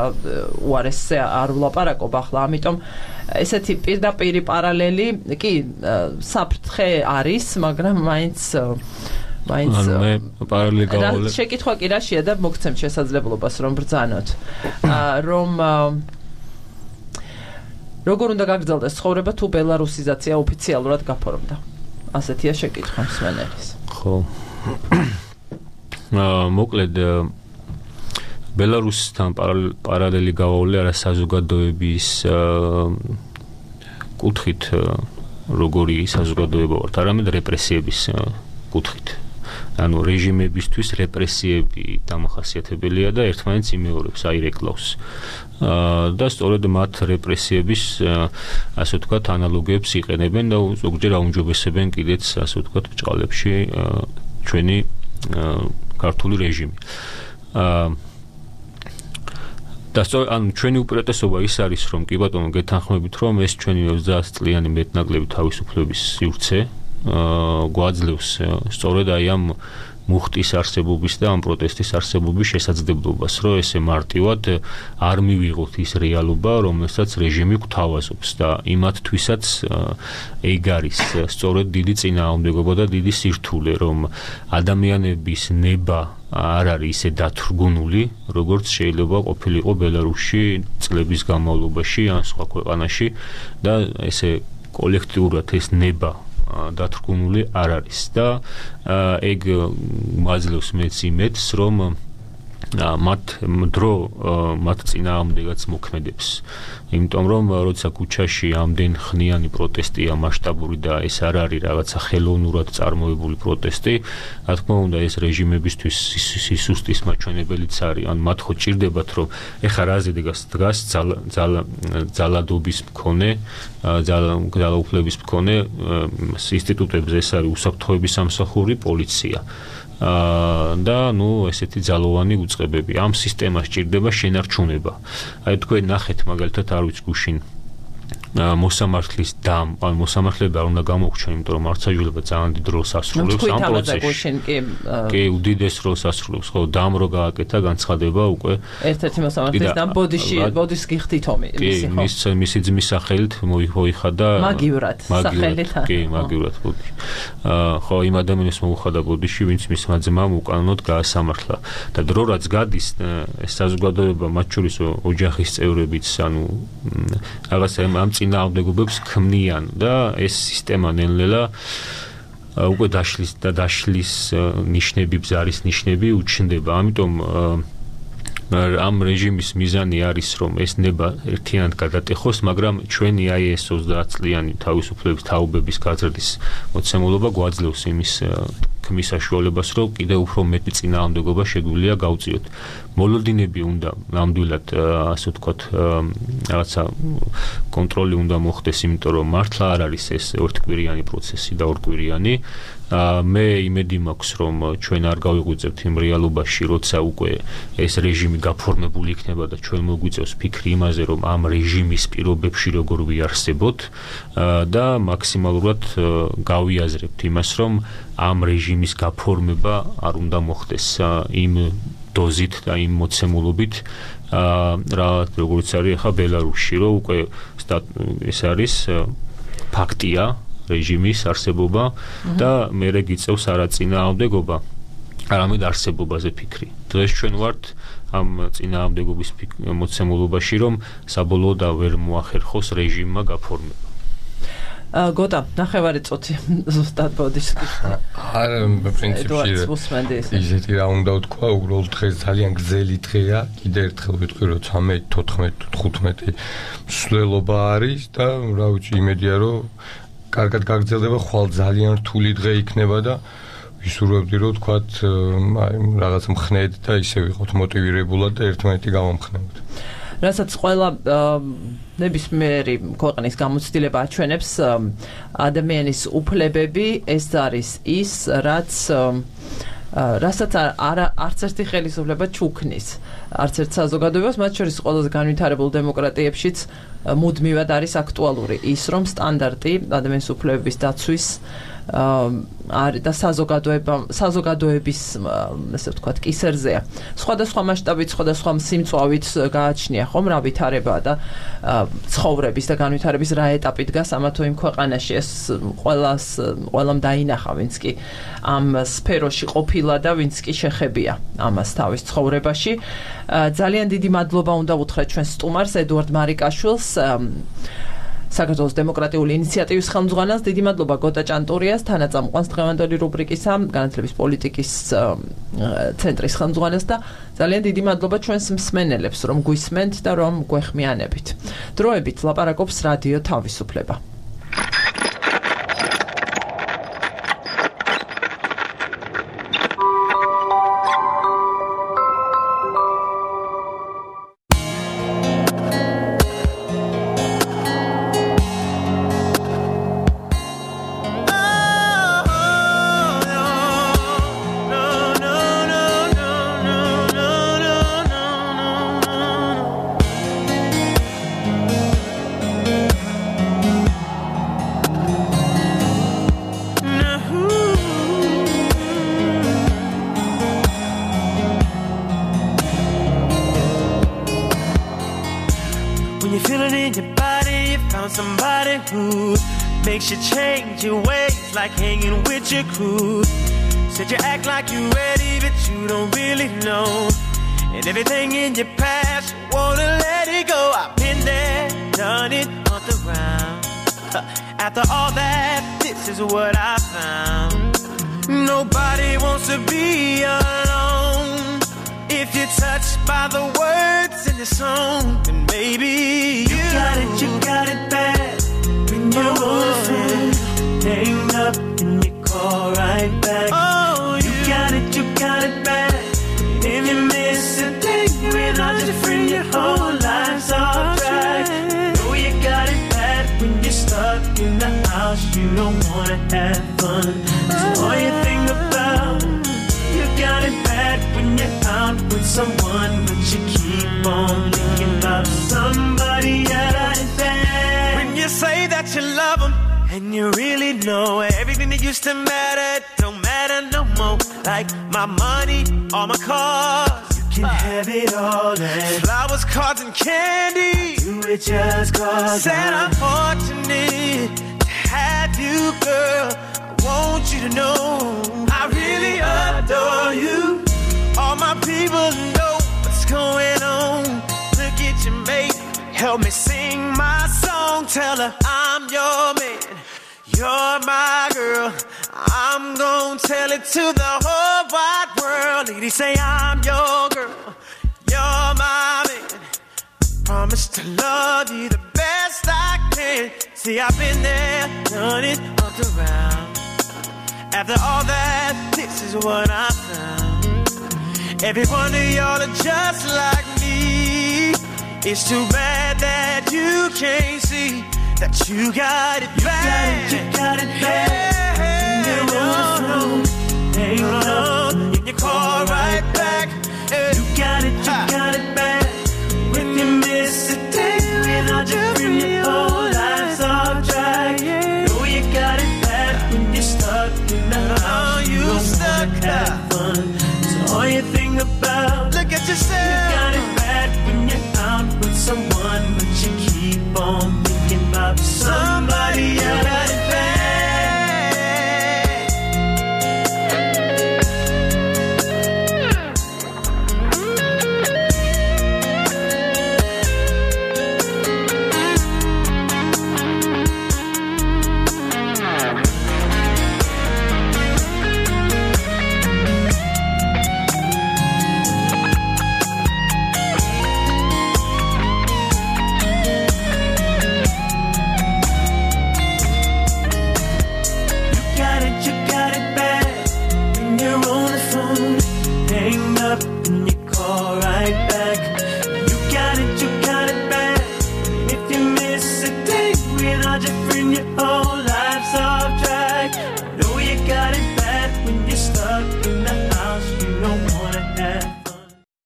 უარესზე არ ვლაპარაკობ ახლა ამიტომ ესეთი პირდაპირი პარალელი კი საფრთხე არის მაგრამ მაინც მაინც ანუ მე პარალელი გავავლე შეკითხვა კი რაშია და მოგცემთ შესაძლებლობას რომ ბრძანოთ რომ როგორ უნდა გაგრძელდეს ცხოვრება თუ ბელარუსიზაცია ოფიციალურად გაფორმდა ასეთია შეკითხვა მსმენელის ხო მოკლედ ბელარუსთან პარალელი გავავლე არა საზოგადოების კუთხით როგორი საზოგადოება ვართ არამედ რეპრესიების კუთხით ანუ რეჟიმებისთვის რეპრესიები დამახასიათებელია და ერთმანეთს იმეორებს აირეკლავს და სწორედ მათ რეპრესიების ასე ვთქვათ ანალოგიებს იყენებენ და ზოგჯერ აუმჯობესებენ კიდეც ასე ვთქვათ ბჭყალებში ჩვენი ქართული რეჟიმი. და სწორედ ან ჩვენი უპირატესობა ის არის რომ კი ბატონო გეთანხმებით რომ ეს ჩვენი ოცდაათი წლიანი მეტნაკლები თავისუფლების სივრცე გვაძლევს სწორედ აი ამ მუხტის არსებობის და ამ პროტესტის არსებობის შესაძლებლობას რომ ესე მარტივად არ მივიღოთ ის რეალობა რომელსაც რეჟიმი გვთავაზობს და იმათთვისაც ეგ არის სწორედ დიდი წინააღმდეგობა და დიდი სირთულე რომ ადამიანების ნება არ არის ისე დათრგუნული როგორც შეიძლება ყოფილიყო ბელარუსში წლების განმავლობაში ან სხვა ქვეყანაში და ესე კოლექტიურად ეს ნება დათრგუნული არ არის და ეგ მაძლევს მეც იმედს რომ მათ დრო მათ წინააღმდეგაც მოქმედებს იმიტომ რომ როცა ქუჩაში ამდენ ხნიანი პროტესტია მასშტაბური და ეს არ არის რაღაცა ხელოვნურად წარმოებული პროტესტი რა თქმა უნდა ეს რეჟიმებისთვის სისუსტის მაჩვენებელიც არის ან მათ ხო ჭირდებათ რომ ეხა რაზე დგას ძალადობის მქონე ძალაუფლების მქონე ინსტიტუტებზე ეს არის უსაფრთხოების სამსახური პოლიცია და ნუ ესეთი ძალოვანი უწყებები ამ სისტემას ჭირდება შენარჩუნება აი თქვენ ნახეთ მაგალითად არ ვიცი გუშინ მოსამართლის დამ ან მოსამართლეები არ უნდა გამოგჩნენ იმიტომ რომ მართლმსაჯულება ძალიან დიდ როლს ასრულებს ამ პროცესში კი უდიდეს როლს ასრულებს ხო დამ რო გააკეთა განცხადება უკვე ერთ-ერთი მოსამართლის დამ ბოდიში ბოდის გიხდით ომი მისი ხო კი მისი ძმის სახელით მოიხადა მაგივრად სახელით კი მაგივრად ბოდიში ხო იმ ადამიანს მოუხადა ბოდიში ვინც მისმა ძმამ უკანონოდ გაასამართლა და დრო რაც გადის ეს საზოგადოება მათ შორის ოჯახის წევრებიც ანუ რაღაცა ამ წინააღმდეგობებს ქმნიან და ეს სისტემა ნელ-ნელა უკვე დაშლის და დაშლის ნიშნები ბზარის ნიშნები უჩნდება ამიტომ ამ რეჟიმის მიზანი არის რომ ეს ნება ერთიანად გადატეხოს მაგრამ ჩვენი აი ეს ოცდაათი წლიანი თავისუფლების თაობების გაზრდის მოცემულობა გვაძლევს იმის ქმის საშუალებას რომ კიდევ უფრო მეტი წინააღმდეგობა შეგვიძლია გავწიოთ მოლოდინები უნდა ნამდვილად ასე ვთქვათ რაღაცა კონტროლი უნდა მოხდეს იმიტომ რომ მართლა არ არის ეს ორთკვირიანი პროცესი და ორკვირიანი მე იმედი მაქვს რომ ჩვენ არ გავიღვიძებთ იმ რეალობაში როცა უკვე ეს რეჟიმი გაფორმებული იქნება და ჩვენ მოგვიწევს ფიქრი იმაზე რომ ამ რეჟიმის პირობებში როგორ ვიარსებოთ და მაქსიმალურად გავიაზრებთ იმას რომ ამ რეჟიმის გაფორმება არ უნდა მოხდეს იმ დოზით და იმ მოცემულობით რა როგორც არის ახლა ბელარუსში რომ უკვე ეს არის ფაქტია რეჟიმის არსებობა და მერე გიწევს არაწინააღმდეგობა არამედ არსებობაზე ფიქრი. დღეს ჩვენ ვართ ამ წინააღმდეგობის მოცემულობაში რომ საბოლოოდ ვერ მოახერხოს რეჟიმმა გაფორმება. გოტა, ნახევარი წუთი ზუსტად ბოდის. არა, პრინციპში ისეთი რა უნდა ვთქვა, უბრალოდ დღეს ძალიან გრძელი დღეა, კიდე ერთხელ ვიტყვი რომ ცამეტი, თოთხმეტი, თხუთმეტი მსვლელობა არის და რა ვიცი, იმედია რომ კარგად გაგრძელდება, ხვალ ძალიან რთული დღე იქნება და ვისურვებდი რომ თქვათ აი რაღაც მხნედ და ისე ვიყოთ მოტივირებულად და ერთმანეთი გავამხნევოთ. რასაც ყველა ნებისმიერი ქვეყნის გამოცდილება აჩვენებს ადამიანის უფლებები ეს არის ის რაც რასაც არ არც ერთი ხელისუფლება ჩუქნის არც ერთ საზოგადოებას მათ შორის ყველაზე განვითარებულ დემოკრატიებშიც მუდმივად არის აქტუალური ის რომ სტანდარტი ადამიანის უფლებების დაცვის არის და საზოგადოება საზოგადოების ესე ვთქვათ კისერზეა. სხვადასხვა მასშტაბით, სხვადასხვა სიმწვავით გააჩნია ხომ რა ვითარება და ცხოვრების და განვითარების რა ეტაპი დგას ამა თუ იმ ქვეყანაში. ეს ყველას ყველამ დაინახა, ვინც კი ამ სფეროში ყოფილა და ვინც კი შეხებია ამას თავის ცხოვრებაში. ძალიან დიდი მადლობა უნდა ვუთხრათ ჩვენ სტუმარს ედუარდ მარიკაშვილს საქართველოს დემოკრატიული ინიციატივის ხელმძღვანელს. დიდი მადლობა გოტა ჭანტურიას, თანაწამყვანს დღევანდელი რუბრიკისა, განათლების პოლიტიკის ცენტრის ხელმძღვანელს და ძალიან დიდი მადლობა ჩვენს მსმენელებს, რომ გვისმენთ და რომ გვეხმიანებით. დროებით ლაპარაკობს რადიო თავისუფლება. Makes you change your ways like hanging with your crew. Said you act like you're ready, but you don't really know. And everything in your past, you wanna let it go. I've been there, done it on the round. After all that, this is what I found. Nobody wants to be alone. If you're touched by the words in the song, then maybe you, you got it, you got it bad. You're on hang up and you call right back. Oh, you, you got it, you got it bad. If you miss a thing, you realize you're free, your whole life's off track. Know you got it bad when you're stuck in the house, you don't wanna have fun. So all you think about, you got it bad when you're out with someone, but you keep on thinking about somebody else. When you say that you love them and you really know everything that used to matter don't matter no more. Like my money, all my cars, you can uh, have it all. And flowers, cards, and candy, you it just cause. Said I'm fortunate to have you, girl. I want you to know I really adore you. All my people know what's going on. Look at your mate, help me sing my song. Tell her I'm your man, you're my girl. I'm gonna tell it to the whole wide world. Lady, say I'm your girl, you're my man. Promise to love you the best I can. See, I've been there, done it up around. After all that, this is what I found. Every one of y'all are just like me. It's too bad that you can't see that you got it bad. You got it, you got it bad. Yeah, yeah, know, they know.